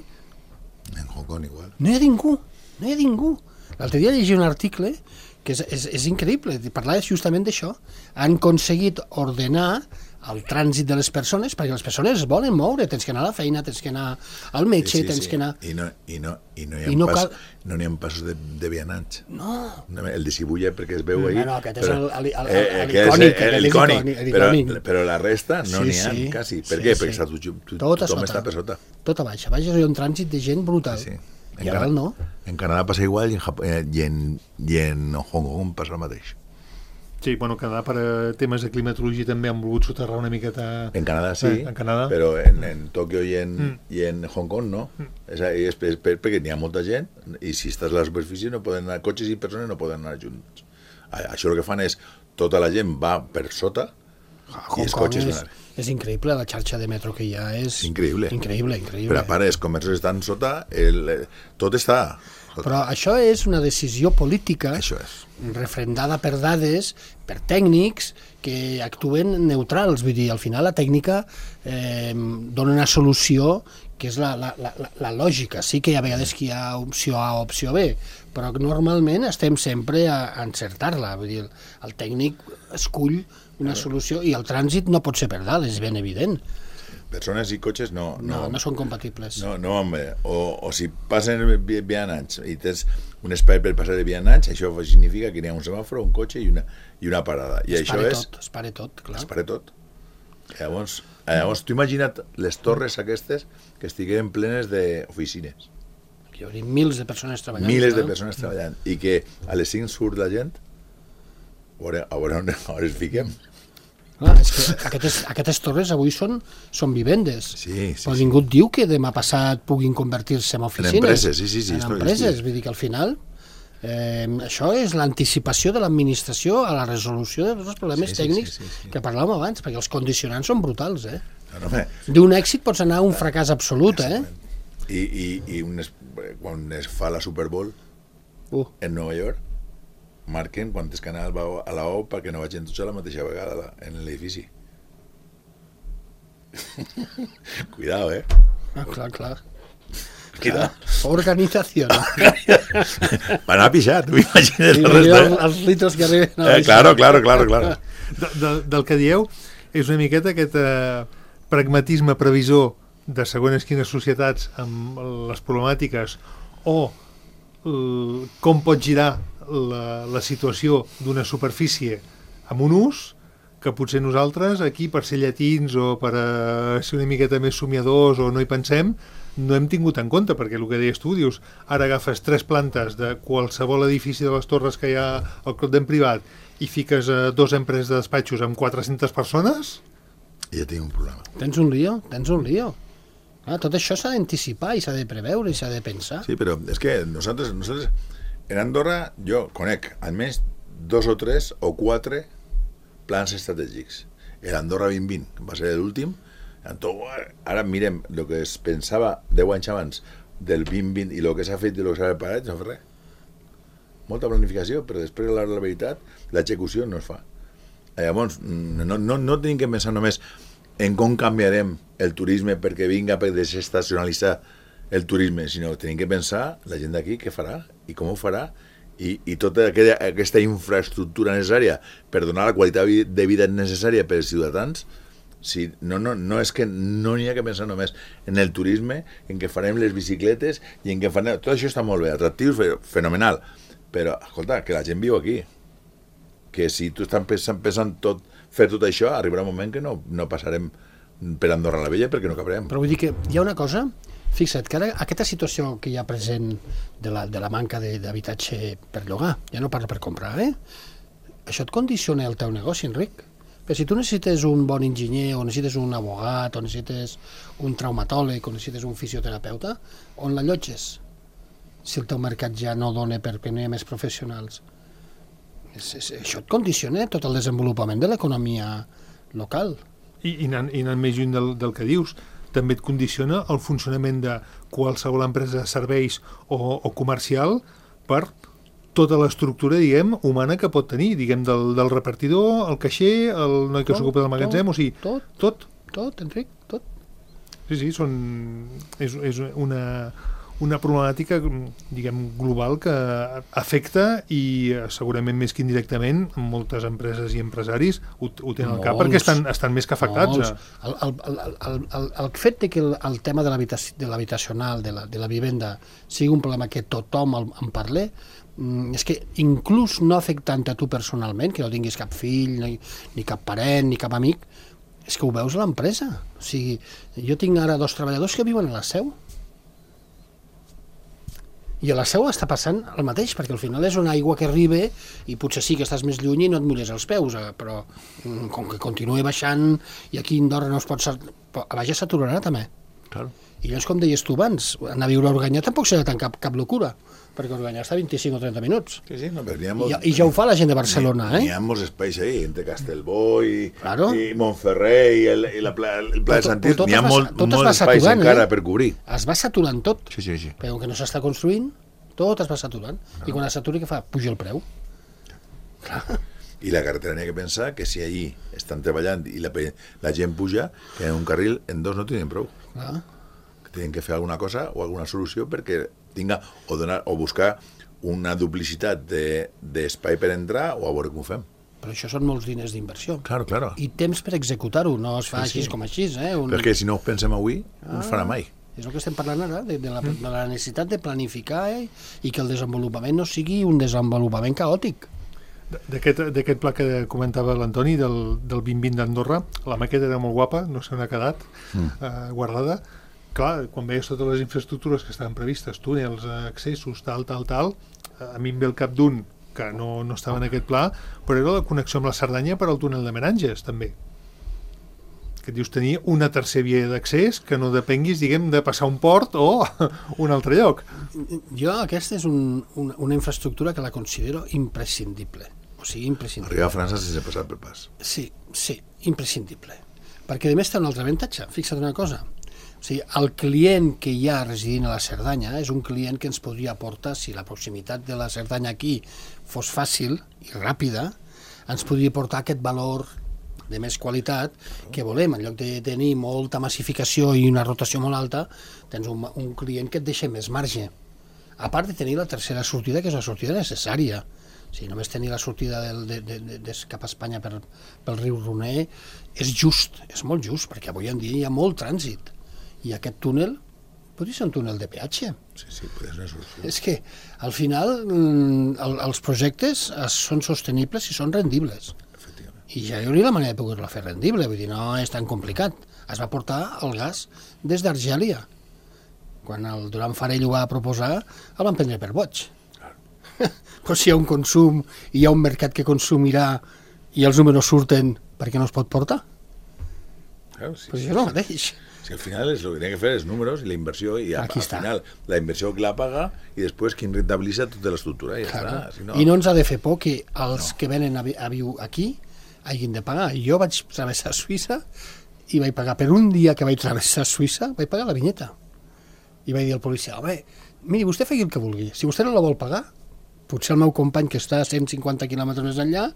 [SPEAKER 4] En Hong Kong igual.
[SPEAKER 3] no hi ha ningú, no hi ha ningú. L'altre dia llegia un article que és, és, és increïble, parlava justament d'això. Han aconseguit ordenar el trànsit de les persones, perquè les persones es volen moure, tens que anar a la feina, tens que anar al metge, tens que anar...
[SPEAKER 4] I no, i no, i no hi ha,
[SPEAKER 3] I no
[SPEAKER 4] pas,
[SPEAKER 3] cal-
[SPEAKER 4] no n'hi ha passos de, de vianants.
[SPEAKER 3] No,
[SPEAKER 4] El de Cibulla perquè es veu ahí.
[SPEAKER 3] No, no, aquest és el- el- el-
[SPEAKER 4] eh,
[SPEAKER 3] el-
[SPEAKER 4] aquest és
[SPEAKER 3] l'icònic,
[SPEAKER 4] el-
[SPEAKER 3] aquest és
[SPEAKER 4] l'icònic,
[SPEAKER 3] icònic,
[SPEAKER 4] però,
[SPEAKER 3] l'icònic.
[SPEAKER 4] però la resta no
[SPEAKER 3] Sí,
[SPEAKER 4] n'hi ha
[SPEAKER 3] sí.
[SPEAKER 4] quasi.
[SPEAKER 3] Sí,
[SPEAKER 4] Per què?
[SPEAKER 3] sí.
[SPEAKER 4] Perquè està, tu, tu,
[SPEAKER 3] Tot a
[SPEAKER 4] tothom
[SPEAKER 3] sota.
[SPEAKER 4] està per sota.
[SPEAKER 3] tot a baix. A baix hi ha un trànsit de gent brutal.
[SPEAKER 4] Sí.
[SPEAKER 3] I a dalt no.
[SPEAKER 4] En Canadà passa igual i en, Jap eh, i en, i en Hong Kong passa el mateix.
[SPEAKER 2] Sí, bueno, Canadà per a temes de climatologia també han volgut soterrar una miqueta...
[SPEAKER 4] En Canadà sí,
[SPEAKER 2] Eh, en Canadà.
[SPEAKER 4] però en, en Tòquio i en,
[SPEAKER 2] Mm.
[SPEAKER 4] i en Hong Kong no. És, és, és per, perquè n'hi ha molta gent i si estàs a la superfície no poden anar, cotxes i persones no poden anar junts. A- Això el que fan és, tota la gent va per sota
[SPEAKER 3] A
[SPEAKER 4] i
[SPEAKER 3] Hong
[SPEAKER 4] els
[SPEAKER 3] Kong
[SPEAKER 4] cotxes
[SPEAKER 3] és,
[SPEAKER 4] van...
[SPEAKER 3] és increïble, la xarxa de metro que hi ha és...
[SPEAKER 4] Increïble.
[SPEAKER 3] Increïble, increïble.
[SPEAKER 4] Però a part, els comerços estan sota, el, eh, tot està sota.
[SPEAKER 3] Però això és una decisió política
[SPEAKER 4] Això és.
[SPEAKER 3] refrendada per dades, per tècnics que actuen neutrals. Vull dir, al final la tècnica eh, dona una solució que és la, la, la, la lògica. Sí que hi ha vegades que hi ha opció A o opció B, però normalment estem sempre a, a encertar-la. Vull dir, el, el tècnic escull una solució i el trànsit no pot ser per dalt, és ben evident.
[SPEAKER 4] Persones i cotxes no...
[SPEAKER 3] No, no, no són compatibles.
[SPEAKER 4] No, no, home, o, o si passen vi- vianants i tens un espai per passar de vianants, això significa que hi ha un semàforo, un cotxe i una, i una parada. I
[SPEAKER 3] es
[SPEAKER 4] això
[SPEAKER 3] pare
[SPEAKER 4] és...
[SPEAKER 3] tot, es pare tot, clar.
[SPEAKER 4] Es pare tot. Llavors, llavors tu imagina't les torres aquestes que estigueren plenes d'oficines.
[SPEAKER 3] Hi hauria mils de persones treballant.
[SPEAKER 4] Miles de
[SPEAKER 3] clar.
[SPEAKER 4] persones treballant. I que a les cinc surt la gent, a veure, a veure on, on es fiquem.
[SPEAKER 3] Clar, és que aquestes, aquestes torres avui són, són vivendes.
[SPEAKER 4] Sí, sí,
[SPEAKER 3] Però
[SPEAKER 4] sí.
[SPEAKER 3] ningú et diu que demà passat puguin convertir-se en oficines.
[SPEAKER 4] empreses, sí, sí, sí,
[SPEAKER 3] En
[SPEAKER 4] esto
[SPEAKER 3] empreses,
[SPEAKER 4] existe.
[SPEAKER 3] vull dir que al final eh, això és l'anticipació de l'administració a la resolució dels problemes
[SPEAKER 4] Sí, sí,
[SPEAKER 3] tècnics
[SPEAKER 4] sí, sí, sí.
[SPEAKER 3] que parlàvem abans, perquè els condicionants són brutals, eh?
[SPEAKER 4] No, no, home,
[SPEAKER 3] D'un èxit pots anar a un fracàs absolut, eh?
[SPEAKER 4] I, i, i un es, quan es fa la Super Bowl
[SPEAKER 3] Uh,
[SPEAKER 4] en Nova York, marquen quantes canals va a la O perquè no vagin tots a la mateixa vegada a la- en l'edifici. Cuidado, eh?
[SPEAKER 3] ah, clar, clar.
[SPEAKER 4] Cuidado.
[SPEAKER 3] Organització. No?
[SPEAKER 4] Van a pixar, tu imagines
[SPEAKER 3] I
[SPEAKER 4] la
[SPEAKER 3] els,
[SPEAKER 4] resta.
[SPEAKER 3] els litros que arriben a
[SPEAKER 4] Eh, claro, claro, claro, claro.
[SPEAKER 2] De, de, del que dieu és una miqueta aquest eh, pragmatisme previsor de segons quines societats amb les problemàtiques o eh, com pot girar la, la situació d'una superfície amb un ús que potser nosaltres aquí, per ser llatins o per a ser una miqueta més somiadors o no hi pensem, no hem tingut en compte, perquè el que deies tu, dius, ara agafes tres plantes de qualsevol edifici de les torres que hi ha al Clot d'en Privat i fiques a dos empreses de despatxos amb quatre-centes persones...
[SPEAKER 4] I ja tinc un problema.
[SPEAKER 3] Tens un lío, tens un lío. Ah, tot això s'ha d'anticipar i s'ha de preveure i s'ha de pensar.
[SPEAKER 4] Sí, però és que nosaltres, nosaltres en Andorra jo conec almenys dos o tres o quatre plans estratègics. El Andorra vint vint, que va ser l'últim. Ara mirem el que es pensava deu anys abans del vint vint i el que s'ha fet i el que s'ha preparat, no fa res. Molta planificació, però després, a la veritat, l'execució no es fa. Llavors, no, no, no tenim que pensar només en com canviarem el turisme perquè vinga per desestacionalitzar el turisme, sinó que tenim que pensar la gent d'aquí què farà i com ho farà i, i tota aquella, aquesta infraestructura necessària per donar la qualitat de vida necessària per als ciutadans. Si, no, no, no és que no n'hi ha que pensar només en el turisme, en què farem les bicicletes i en què farem... Tot això està molt bé, atractiu, fenomenal, però, escolta, que la gent viu aquí, que si tu estàs pensant, pensant tot, fer tot això, arribarà un moment que no, no passarem per Andorra la Vella perquè no cabrem.
[SPEAKER 3] Però vull dir que hi ha una cosa, fixa't, que ara aquesta situació que hi ha present de la, de la manca d'habitatge per llogar, ja no parlo per comprar, eh? Això et condiciona el teu negoci, Enric. Però si tu necessites un bon enginyer, o necessites un abogat, o necessites un traumatòleg, o necessites un fisioterapeuta, on l'allotges? Si el teu mercat ja no dona perquè no hi ha més professionals. És, és, això et condiciona tot el desenvolupament de l'economia local.
[SPEAKER 2] I, i, anant, i anant més lluny del, del que dius, també et condiciona el funcionament de qualsevol empresa de serveis o, o comercial per tota l'estructura, diguem, humana que pot tenir, diguem, del, del repartidor, el caixer, el noi que s'ocupa del magatzem, o sigui,
[SPEAKER 3] tot,
[SPEAKER 2] tot.
[SPEAKER 3] Tot, Enric, tot.
[SPEAKER 2] Sí, sí, són, és, és una, una problemàtica, diguem, global que afecta i segurament més que indirectament moltes empreses i empresaris ho, ho tenen al cap perquè estan, estan més que afectats.
[SPEAKER 3] El, el, el, el, el, el fet de que el, el tema de l'habitacional, de, la, de la vivenda, sigui un problema que tothom en parli, és que inclús no afectant a tu personalment, que no tinguis cap fill, ni, ni cap parent, ni cap amic, és que ho veus a l'empresa. O sigui, jo tinc ara dos treballadors que viuen a la Seu. I a la Seu està passant el mateix, perquè al final és una aigua que arriba i potser sí que estàs més lluny i no et mulles els peus, però com que continua baixant i aquí a Andorra no es pot... A baix s'aturarà també.
[SPEAKER 4] Claro.
[SPEAKER 3] I llavors, com deies tu abans, anar a viure a Organyà tampoc serà tant cap, cap locura, perquè Organyà està a vint-i-cinc o trenta minuts.
[SPEAKER 4] Sí, sí, no, però n'hi ha molts...
[SPEAKER 3] I, I ja ho fa la gent de Barcelona, eh?
[SPEAKER 4] N'hi ha molts espais ahí, entre Castelbó i,
[SPEAKER 3] claro.
[SPEAKER 4] i Montferrer i el, i la pla, el Pla de Santís, n'hi ha molt, molts espais encara eh? per cobrir.
[SPEAKER 3] Es va saturant tot,
[SPEAKER 4] sí, sí, sí.
[SPEAKER 3] però que no s'està construint, tot es va saturant. No. I quan es saturi, què fa? Puja el preu. Clar.
[SPEAKER 4] I la carretera n'hi ha que pensar que si allí estan treballant i la, la gent puja, que en un carril en dos no tenen prou.
[SPEAKER 3] Clar.
[SPEAKER 4] Tenen que fer alguna cosa o alguna solució perquè tinga o, donar, o buscar una duplicitat d'espai de, per entrar o a veure com ho fem.
[SPEAKER 3] Però això són molts diners d'inversió.
[SPEAKER 4] Claro, claro.
[SPEAKER 3] I temps per executar-ho, no es fa sí, així sí. com així. Eh? Un...
[SPEAKER 4] Però és que si no ho pensem avui, ah, no es farà mai.
[SPEAKER 3] És el que estem parlant ara, de, de, la, de la necessitat de planificar eh? i que el desenvolupament no sigui un desenvolupament caòtic.
[SPEAKER 2] D'aquest pla que comentava l'Antoni, del, del vint vint d'Andorra, la maqueta era molt guapa, no se n'ha quedat mm. eh, guardada. Clar, quan veies totes les infraestructures que estaven previstes, túnels, accessos, tal, tal, tal, a mi em ve el cap d'un que no, no estava en aquest pla, però era la connexió amb la Cerdanya per al túnel de Meranges, també. Que dius tenir una tercera via d'accés que no depenguis, diguem, de passar un port o un altre lloc.
[SPEAKER 3] Jo aquesta és un, una, una infraestructura que la considero imprescindible. O sigui, imprescindible.
[SPEAKER 4] Arribar a França sense passar per pas.
[SPEAKER 3] Sí, sí, imprescindible. Perquè a més té un altre avantatge. Fixa't una cosa. O sigui, el client que hi ha residint a la Cerdanya és un client que ens podria aportar, si la proximitat de la Cerdanya aquí fos fàcil i ràpida, ens podria aportar aquest valor de més qualitat que volem. En lloc de tenir molta massificació i una rotació molt alta, tens un, un client que et deixa més marge. A part de tenir la tercera sortida, que és una sortida necessària. O sigui, només tenir la sortida del, de, de, de, de cap a Espanya per, pel riu Roner és just, és molt just, perquè avui en dia hi ha molt trànsit. I aquest túnel Podria ser un túnel de peatge.
[SPEAKER 4] Sí, sí, podria ser una solució.
[SPEAKER 3] És que, al final, mm, el, els projectes es, són sostenibles i són rendibles.
[SPEAKER 4] Efectivament.
[SPEAKER 3] I ja hi hauria la manera de poder-la fer rendible, vull dir, no és tan complicat. Es va portar el gas des d'Argèlia. Quan el Duran Farell ho va proposar, el van prendre per boig. Claro. Però si hi ha un consum i hi ha un mercat que consumirà i els números surten, per què no es pot portar?
[SPEAKER 4] Claro, sí,
[SPEAKER 3] Pues
[SPEAKER 4] sí,
[SPEAKER 3] això és el
[SPEAKER 4] sí.
[SPEAKER 3] mateix.
[SPEAKER 4] Si al final es lo que tiene que fer és números i la inversió, i a,
[SPEAKER 3] Aquí
[SPEAKER 4] al
[SPEAKER 3] està.
[SPEAKER 4] final la inversió que la paga i després qui rentabilitza tota l'estructura. I, ja
[SPEAKER 3] Claro.
[SPEAKER 4] està. Si no,
[SPEAKER 3] I no ens ha de fer por que els no. que venen a, vi a viure aquí hagin de pagar. Jo vaig travessar Suïssa i vaig pagar per un dia que vaig travessar Suïssa, vaig pagar la vinyeta. I vaig dir al policia, home, miri, vostè faci el que vulgui. Si vostè no la vol pagar, potser el meu company que està a cent cinquanta quilòmetres més enllà,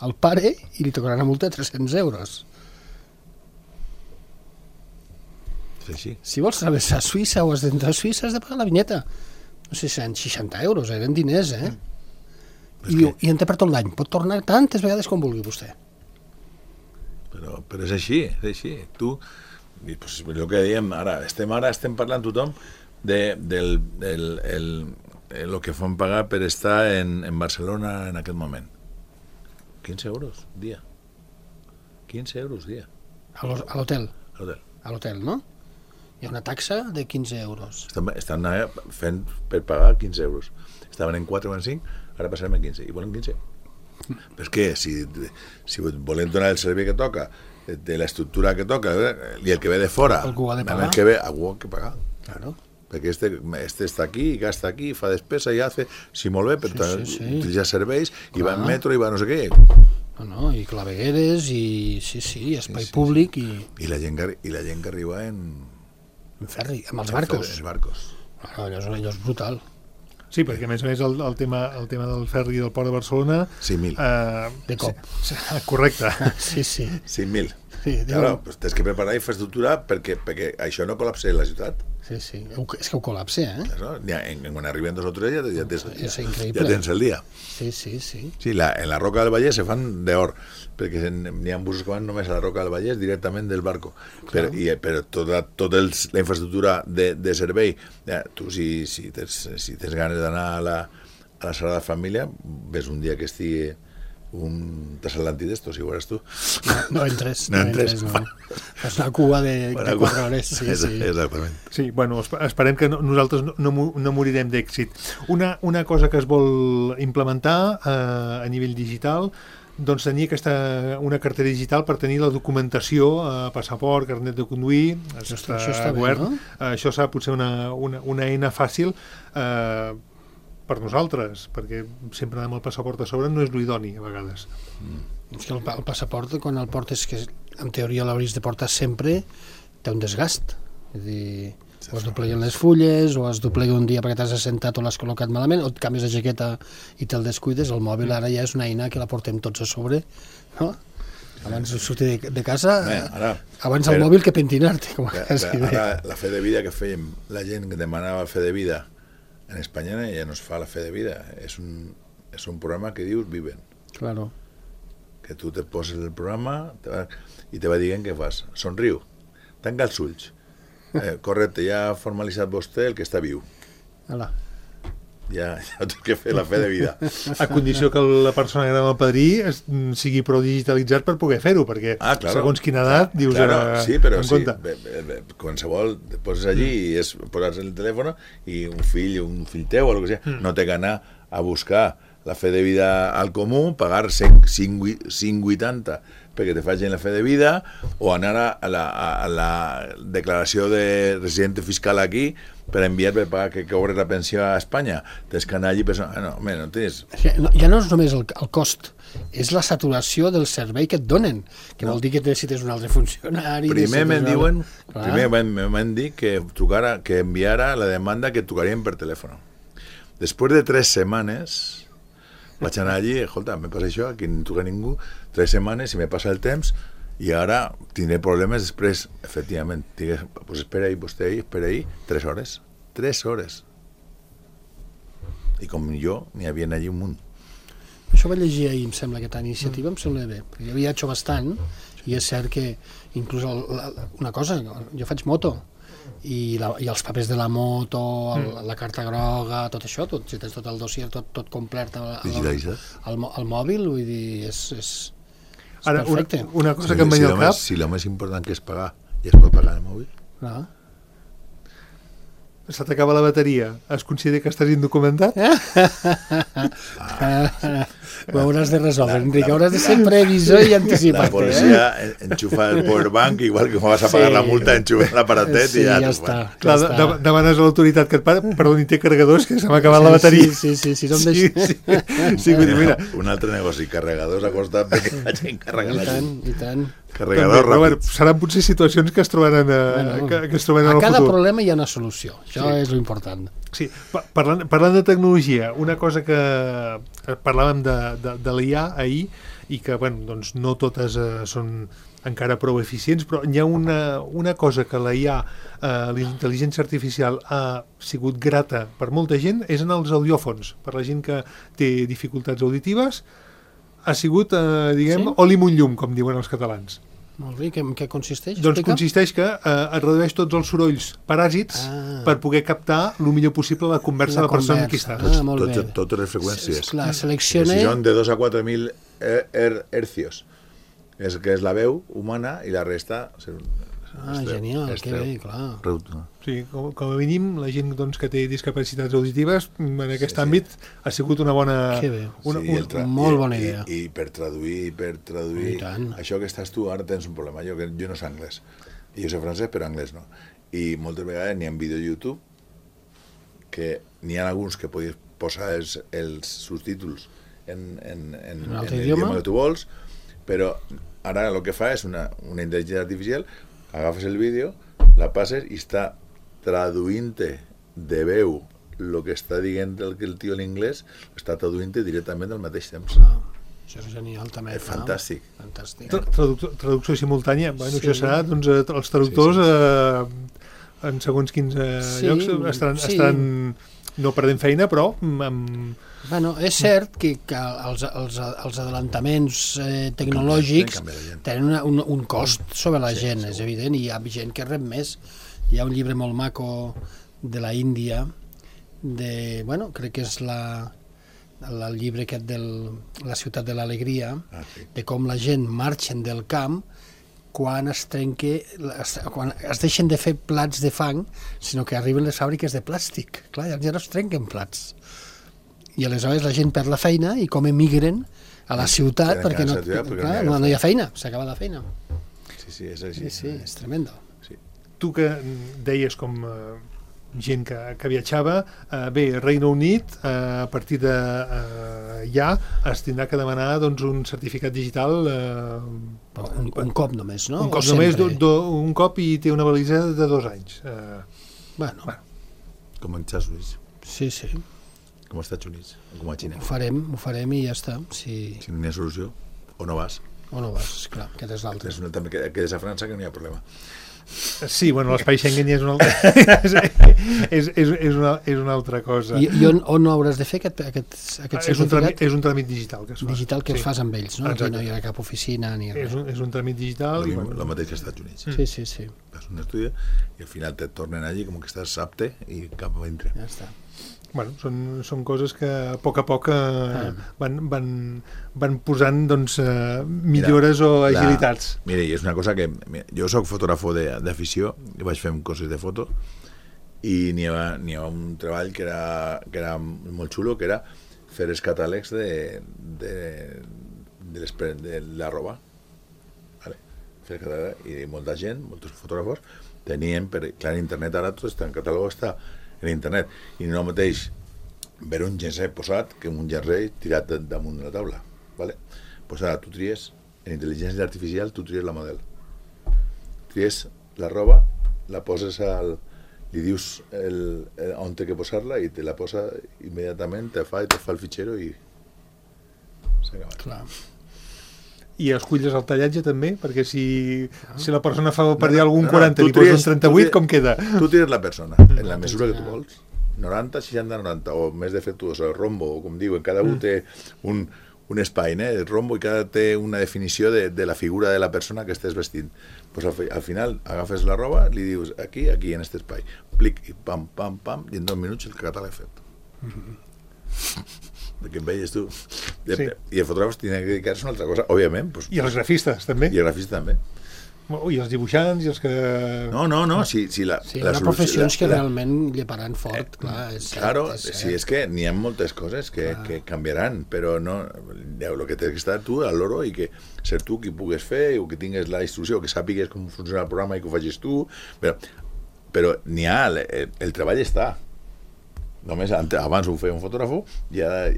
[SPEAKER 3] el pare i li tocarà una multa de tres-cents euros.
[SPEAKER 4] és així.
[SPEAKER 3] Si vols travessar Suïssa o has d'entrar a Suïssa, has de pagar la vinyeta. No sé si eren seixanta euros, eren diners, eh?
[SPEAKER 4] És
[SPEAKER 3] I,
[SPEAKER 4] que-
[SPEAKER 3] I en té per tot l'any. Pot tornar tantes vegades com vulgui vostè.
[SPEAKER 4] Però, però és així, és així. Tu, i, pues, el que dèiem ara, estem ara estem parlant tothom de, del, del el, el, el que fan pagar per estar en, en Barcelona en aquest moment. quinze euros dia. quinze euros dia.
[SPEAKER 3] A l'ho- a l'hotel,
[SPEAKER 4] a l'hotel.
[SPEAKER 3] a l'hotel, no? Hi ha una taxa de quinze euros.
[SPEAKER 4] Estan, estan eh, fent per pagar quinze euros. Estaven en quatre o en cinc, ara passarem en quinze. I volen quinze. Però és que si, si volem donar el servei que toca, de l'estructura que toca, eh, i el que ve de fora,
[SPEAKER 3] Algú ha de pagar.
[SPEAKER 4] el que ve, algú ha que pagar.
[SPEAKER 3] Claro.
[SPEAKER 4] Perquè este, este està aquí, gasta aquí, fa despesa i hace, sí, molt bé, però
[SPEAKER 3] Sí, sí, sí.
[SPEAKER 4] utilitza serveis, i va en
[SPEAKER 3] Clar.
[SPEAKER 4] metro, i va no sé què.
[SPEAKER 3] No, no, i clavegueres, i sí, sí, espai
[SPEAKER 4] sí,
[SPEAKER 3] públic, i
[SPEAKER 4] I la gent que, i la gent que arriba en...
[SPEAKER 3] en ferri, amb els
[SPEAKER 4] en
[SPEAKER 3] barcos.
[SPEAKER 4] Els barcos.
[SPEAKER 3] No, allò, és, allò és brutal.
[SPEAKER 2] Sí, perquè a més a més el, el, tema, el tema del ferri del port de Barcelona...
[SPEAKER 4] cinc mil.
[SPEAKER 2] Eh,
[SPEAKER 3] De cop.
[SPEAKER 2] Sí, correcte.
[SPEAKER 3] Sí, sí.
[SPEAKER 4] cinc mil.
[SPEAKER 3] Sí,
[SPEAKER 4] Claro, pues tens que preparar infraestructura perquè, perquè això no col·lapsi la ciutat.
[SPEAKER 3] sí, sí. És que ho col·lapse, eh?
[SPEAKER 4] No? Ja, en, quan arriben dos o tres ja, ja, tens,
[SPEAKER 3] És
[SPEAKER 4] ja,
[SPEAKER 3] increïble.
[SPEAKER 4] ja tens el dia.
[SPEAKER 3] Sí, sí, sí.
[SPEAKER 4] Sí, la, en la Roca del Vallès se fan d'or, perquè n'hi ha busos que van només a la Roca del Vallès directament del barco. Per, i, però tota, tota el, la infraestructura de, de servei, ja, tu si, si, tens, si tens ganes d'anar a la, a la Sagrada Família, ves un dia que estigui un transatlàntic d'estos, si ho veuràs tu.
[SPEAKER 3] No, no entres,
[SPEAKER 4] No
[SPEAKER 3] no,
[SPEAKER 4] entres.
[SPEAKER 3] entres, no. Fas una cua de, de quatre hores, sí,
[SPEAKER 4] És-
[SPEAKER 3] sí.
[SPEAKER 4] Exactament.
[SPEAKER 2] Sí, bueno, esp- esperem que no, nosaltres no, no, mo- no morirem d'èxit. Una, una cosa que es vol implementar eh, a nivell digital, doncs tenir aquesta, una cartera digital per tenir la documentació, eh, passaport, carnet de conduir, això està,
[SPEAKER 3] això està bé,
[SPEAKER 2] govern.
[SPEAKER 3] no?
[SPEAKER 2] Eh, això serà potser una, una, una eina fàcil eh, per nosaltres, perquè sempre anar amb el passaport a sobre no és l'idoni, a vegades.
[SPEAKER 3] És que el, pa- el passaport, quan el portes, que en teoria l'hauries de portar sempre, té un desgast. És dir, o es dobleguen les fulles, o es doblega un dia perquè t'has assentat o l'has col·locat malament, o et canvies de jaqueta i te'l descuides. El mòbil ara ja és una eina que la portem tots a sobre, no? Abans de sortir de, de casa,
[SPEAKER 4] Bé, ara,
[SPEAKER 3] abans el
[SPEAKER 4] però-
[SPEAKER 3] mòbil que pentinar-te, com
[SPEAKER 4] Bé,
[SPEAKER 3] quasi
[SPEAKER 4] bé,
[SPEAKER 3] bé.
[SPEAKER 4] ara, la fe de vida que fèiem, la gent que demanava fe de vida en Espanya ja no es fa la fe de vida, és un, és un programa que dius Viven,
[SPEAKER 3] Claro.
[SPEAKER 4] que tu te poses el programa te va, i te va dient què fas, somriu, tanca els ulls, eh, correcte, ja ha formalitzat vostè el que està viu,
[SPEAKER 3] Ala.
[SPEAKER 4] ja, ja té que fer la fe de vida.
[SPEAKER 2] A condició que la persona que dona el padrí es, sigui prou digitalitzat per poder fer-ho, perquè
[SPEAKER 4] Ah, claro.
[SPEAKER 2] segons quina edat dius
[SPEAKER 4] Claro,
[SPEAKER 2] eh,
[SPEAKER 4] sí, però
[SPEAKER 2] en
[SPEAKER 4] sí,
[SPEAKER 2] compte.
[SPEAKER 4] bé, bé, bé, qualsevol et poses allí i és posar el telèfon i un fill, un fill teu o el que sigui,
[SPEAKER 2] Mm.
[SPEAKER 4] no té que anar a buscar la fe de vida al comú, pagar cinc coma vuitanta perquè te facin la fe de vida o anar a la, a la declaració de resident fiscal aquí per enviar per pagar que cobres la pensió a Espanya. Tens que anar allí i pensar, ah, no, home, no tens...
[SPEAKER 3] És que no, ja no és només el, el cost, és la saturació del servei que et donen, que
[SPEAKER 4] No.
[SPEAKER 3] vol dir que necessites un altre funcionari...
[SPEAKER 4] Primer
[SPEAKER 3] necessites
[SPEAKER 4] me'n
[SPEAKER 3] un
[SPEAKER 4] diuen,
[SPEAKER 3] altre- Clar.
[SPEAKER 4] primer me'n me'n dit que trucara, que enviara la demanda que trucarien per telèfon. Després de tres setmanes vaig anar allí, escolta, me passa això, aquí no truca ningú, tres setmanes i me passa el temps i ara tindré problemes després, efectivament, digues, pues espera ahí, vostè ahí, espera ahí, tres hores, tres hores. I com jo, n'hi havia allí un munt.
[SPEAKER 3] Això vaig llegir ahir, em sembla, aquesta iniciativa, em sembla bé, perquè jo viatjo bastant, i és cert que inclús el, la, una cosa, jo faig moto, i, la, i els papers de la moto, el, la carta groga, tot això, tot, si tens tot el dossier, tot, tot complet al, al, al, al mòbil, vull dir, és, és, és
[SPEAKER 2] Ara,
[SPEAKER 3] perfecte.
[SPEAKER 2] Una, una cosa
[SPEAKER 4] si,
[SPEAKER 2] que em
[SPEAKER 4] si
[SPEAKER 2] venia al cap...
[SPEAKER 4] Si el més important que és pagar, ja es pot pagar el mòbil?
[SPEAKER 3] No?
[SPEAKER 2] Se t'acaba la bateria. Es considera que estàs indocumentat?
[SPEAKER 3] Ah. Ho hauràs de resoldre, Enric. Hauràs de ser previsor i anticipat.
[SPEAKER 4] La policia eh? enxufa el powerbank, igual que vas a pagar sí. la multa, enxufa l'aparatet
[SPEAKER 3] sí,
[SPEAKER 4] i ja...
[SPEAKER 3] ja està.
[SPEAKER 2] Clar,
[SPEAKER 3] ja
[SPEAKER 2] de, demanes a l'autoritat que et para, perdó, té carregadors, que se m'ha acabat sí, la bateria.
[SPEAKER 3] Sí, sí, sí. sí,
[SPEAKER 2] sí, sí, sí, sí mira.
[SPEAKER 4] Un altre negoci, carregadors a costat de que la gent carrega la gent.
[SPEAKER 3] I tant, i tant.
[SPEAKER 4] Carregadors ràpids.
[SPEAKER 2] Bueno, seran potser situacions que es trobaran, a, bueno, que, que es trobaran
[SPEAKER 3] a
[SPEAKER 2] al
[SPEAKER 3] cada
[SPEAKER 2] futur.
[SPEAKER 3] problema hi ha una solució. Això sí. és l'important.
[SPEAKER 2] Sí, parlant, parlant de tecnologia, una cosa que parlàvem de, de, de l'I A ahir i que bueno, doncs no totes eh, són encara prou eficients, però hi ha una, una cosa que la I A, eh, la intel·ligència artificial, ha sigut grata per molta gent, és en els audiòfons. Per la gent que té dificultats auditives, ha sigut, eh, diguem, sí? oli munt llum, com diuen els catalans.
[SPEAKER 3] Molt bé, en què consisteix?
[SPEAKER 2] Doncs
[SPEAKER 3] Explica?
[SPEAKER 2] consisteix que eh, es redueix tots els sorolls paràsits ah. per poder captar el millor possible la conversa
[SPEAKER 3] la
[SPEAKER 2] de la persona
[SPEAKER 3] conversa.
[SPEAKER 2] amb qui està.
[SPEAKER 3] Ah, molt
[SPEAKER 4] Tot,
[SPEAKER 3] bé.
[SPEAKER 4] totes les freqüències.
[SPEAKER 3] S clar, selecciona...
[SPEAKER 4] Si són de dos a quatre mil hercios, és que és la veu humana i la resta...
[SPEAKER 3] Ah, genial, que bé, clar.
[SPEAKER 2] Sí, com, com a mínim, la gent doncs, que té discapacitats auditives, en aquest sí, àmbit, sí. ha sigut una bona...
[SPEAKER 3] Que bé,
[SPEAKER 2] una,
[SPEAKER 4] sí,
[SPEAKER 2] una,
[SPEAKER 3] molt bona idea.
[SPEAKER 4] I, i per traduir, per traduir... Això que estàs tu, ara tens un problema. Jo, que jo no sé anglès. I jo sé francès, però anglès no. I moltes vegades n'hi ha vídeo a YouTube que n'hi ha alguns que podies posar els, els subtítols en, en, en, en, en l'idioma que tu vols, però ara el que fa és una, una intel·ligència artificial, agafes el vídeo, la passes i està traduint-te de veu el que està dient el, el tio en anglès, està traduint-te directament al mateix temps.
[SPEAKER 3] Ah, això és genial també.
[SPEAKER 4] És fantàstic.
[SPEAKER 3] Fantàstic.
[SPEAKER 2] Traducció, traducció simultània, bueno, sí. Això serà, doncs, els traductors sí, sí. Eh, en segons quins eh, sí, llocs estaran, sí. estaran no perdent feina, però amb...
[SPEAKER 3] Bueno, és cert que, que els, els, els adelantaments eh, tecnològics tenen una, un, un cost sobre la gent, sí, és evident, i hi ha gent que rep més. Hi ha un llibre molt maco de la Índia, de, bueno, crec que és la, el llibre aquest de la ciutat de l'alegria, ah, sí. de com la gent marxen del camp quan es trenque, quan es deixen de fer plats de fang, sinó que arriben les fàbriques de plàstic. Clar, ja no es trenquen plats. I aleshores la gent perd la feina i com emigren a la ciutat perquè, no,
[SPEAKER 4] ciutat, perquè
[SPEAKER 3] clar, no, no hi ha feina, s'acaba la feina.
[SPEAKER 4] Sí, sí, és així.
[SPEAKER 3] Sí, sí, és tremendo.
[SPEAKER 2] Sí. Tu que deies com eh, gent que, que viatjava, eh, bé, Regne Unit, eh, a partir de eh, ja es tindrà que demanar doncs, un certificat digital eh,
[SPEAKER 3] un, un cop només, no?
[SPEAKER 2] Un cop només, do, do, un cop i té una validesa de dos anys. Eh,
[SPEAKER 3] bueno.
[SPEAKER 2] bueno.
[SPEAKER 4] Com en Estats Units.
[SPEAKER 3] Sí, sí.
[SPEAKER 4] Com als Estats Units, com a Xina.
[SPEAKER 3] Ho farem, ho farem i ja està. Si,
[SPEAKER 4] si no hi ha solució, o no vas.
[SPEAKER 3] O no vas, clar, aquest és l'altre.
[SPEAKER 4] És una, també que quedes a França que no hi ha problema.
[SPEAKER 2] Sí, bueno, l'espai Schengen és una altra, és, és, és, una, és una altra cosa.
[SPEAKER 3] I, i on, on hauràs de fer aquest, aquest, aquest
[SPEAKER 2] és, un tràmit, és un tràmit digital que es fa.
[SPEAKER 3] Digital que sí. fas amb ells, no?
[SPEAKER 2] Exacte.
[SPEAKER 3] Aquí no hi ha cap oficina ni res.
[SPEAKER 2] És un, és un tràmit digital.
[SPEAKER 4] El,
[SPEAKER 2] i,
[SPEAKER 4] bueno,
[SPEAKER 2] bueno,
[SPEAKER 4] el mateix que als Estats Units.
[SPEAKER 3] Sí, sí, sí.
[SPEAKER 4] Fas un estudi i al final te tornen allí com que estàs apte i cap a dintre.
[SPEAKER 3] Ja està.
[SPEAKER 2] Bueno, són, són coses que a poc a poc eh, ah. van, van, van posant doncs, eh, millores mira, o agilitats.
[SPEAKER 4] La, mira, és una cosa que... Mira, jo soc fotògrafo d'afició i vaig fer coses de foto i n'hi havia, n'hi havia un treball que era, que era molt xulo, que era fer els catàlegs de, de, de, les, de la roba. Vale? Fer el catàleg, i molta gent, molts fotògrafos, tenien, per, clar, en internet ara tot està, en catàleg està en internet, i no mateix veure un jersei posat que un jersei tirat damunt de la taula, vale? Pues ara tu tries, en intel·ligència artificial tu tries la model, tries la roba, la poses al, li dius el, el, on té que posar-la i te la posa immediatament, te fa i te fa el fitxero i s'ha acabat.
[SPEAKER 3] Clar.
[SPEAKER 2] I esculles el tallatge també, perquè si, ah. si la persona fa per dir algun
[SPEAKER 4] no, no,
[SPEAKER 2] quaranta i li poses un trenta-vuit, com queda?
[SPEAKER 4] Tu tires la persona, en la mesura que tu vols, noranta, seixanta, noranta, o més defectuosa, rombo, o com diuen, cada un té un, un espai, eh? El rombo i cada té una definició de, de la figura de la persona que estàs vestint. Pues al, al final agafes la roba, li dius aquí, aquí, en aquest espai. Plic, i pam, pam, pam, i en dos minuts el català l'he fet. Mm-hmm. Perquè em veies tu. Sí. I el fotògraf tenia que dedicar-se a una altra cosa, òbviament. Pues,
[SPEAKER 2] I els grafistes, també.
[SPEAKER 4] I els grafistes, també.
[SPEAKER 2] I els dibuixants i els que...
[SPEAKER 4] No, no, no, si, si la...
[SPEAKER 3] Sí, hi
[SPEAKER 4] la
[SPEAKER 3] ha professions la, que la, realment lleparan fort, clar. És
[SPEAKER 4] claro,
[SPEAKER 3] cert, és
[SPEAKER 4] sí, és que n'hi ha moltes coses que, que canviaran, però no, el que tens que estar tu al loro i que ser tu qui pugues fer, o que tingues la instrucció, que sàpigues com funciona el programa i que ho facis tu, però, però n'hi ha, el, el treball està. Només abans ho feia un fotògrafo i ara,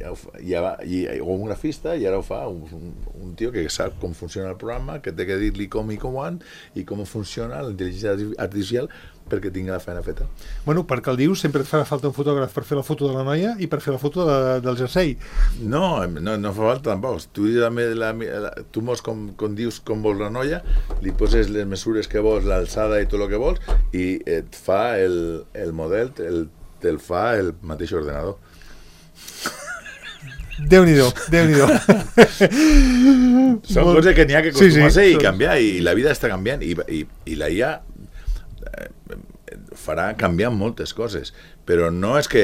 [SPEAKER 4] ja va, i, o un grafista, i ara ho fa un, un, un tio que sap com funciona el programa, que té que dir-li com i com quan i com funciona la intel·ligència artificial perquè tingui la feina feta.
[SPEAKER 2] Bueno, perquè el dius, sempre et farà falta un fotògraf per fer la foto de la noia i per fer la foto de, del jersei.
[SPEAKER 4] No, no, no fa falta tampoc. Tu, també la, la, tu mos com, com dius com vols la noia, li poses les mesures que vols, l'alçada i tot el que vols, i et fa el, el model, el te'l fa el mateix ordenador.
[SPEAKER 2] Déu-n'hi-do, Déu-n'hi-do.
[SPEAKER 4] Són Molt... coses que n'hi ha que acostumar-se sí, sí, i són... canviar, i la vida està canviant, i, i, i la I A farà canviar moltes coses, però no és que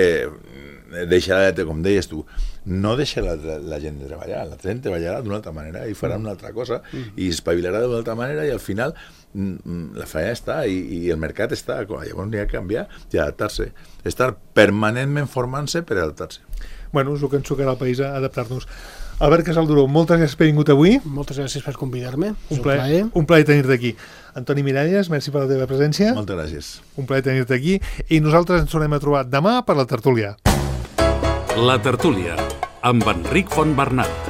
[SPEAKER 4] deixarà, com deies tu, no deixarà la, la gent de treballar, la gent treballarà d'una altra manera i farà una altra cosa, i espavilarà d'una altra manera, i al final la feina està i, i el mercat està, llavors n'hi ha que canviar i adaptar-se, estar permanentment formant-se per adaptar-se.
[SPEAKER 2] Bueno, és el que ens tocarà al país, a adaptar-nos. Albert Casalduró, moltes gràcies per haver vingut avui.
[SPEAKER 3] Moltes gràcies per convidar-me.
[SPEAKER 2] Un plaer, un plaer tenir-te aquí. Antoni Miralles, merci per la teva presència.
[SPEAKER 4] Moltes gràcies.
[SPEAKER 2] Un plaer tenir-te aquí, i nosaltres ens tornem a trobar demà per la tertúlia.
[SPEAKER 1] La tertúlia, amb Enric Fontbernat.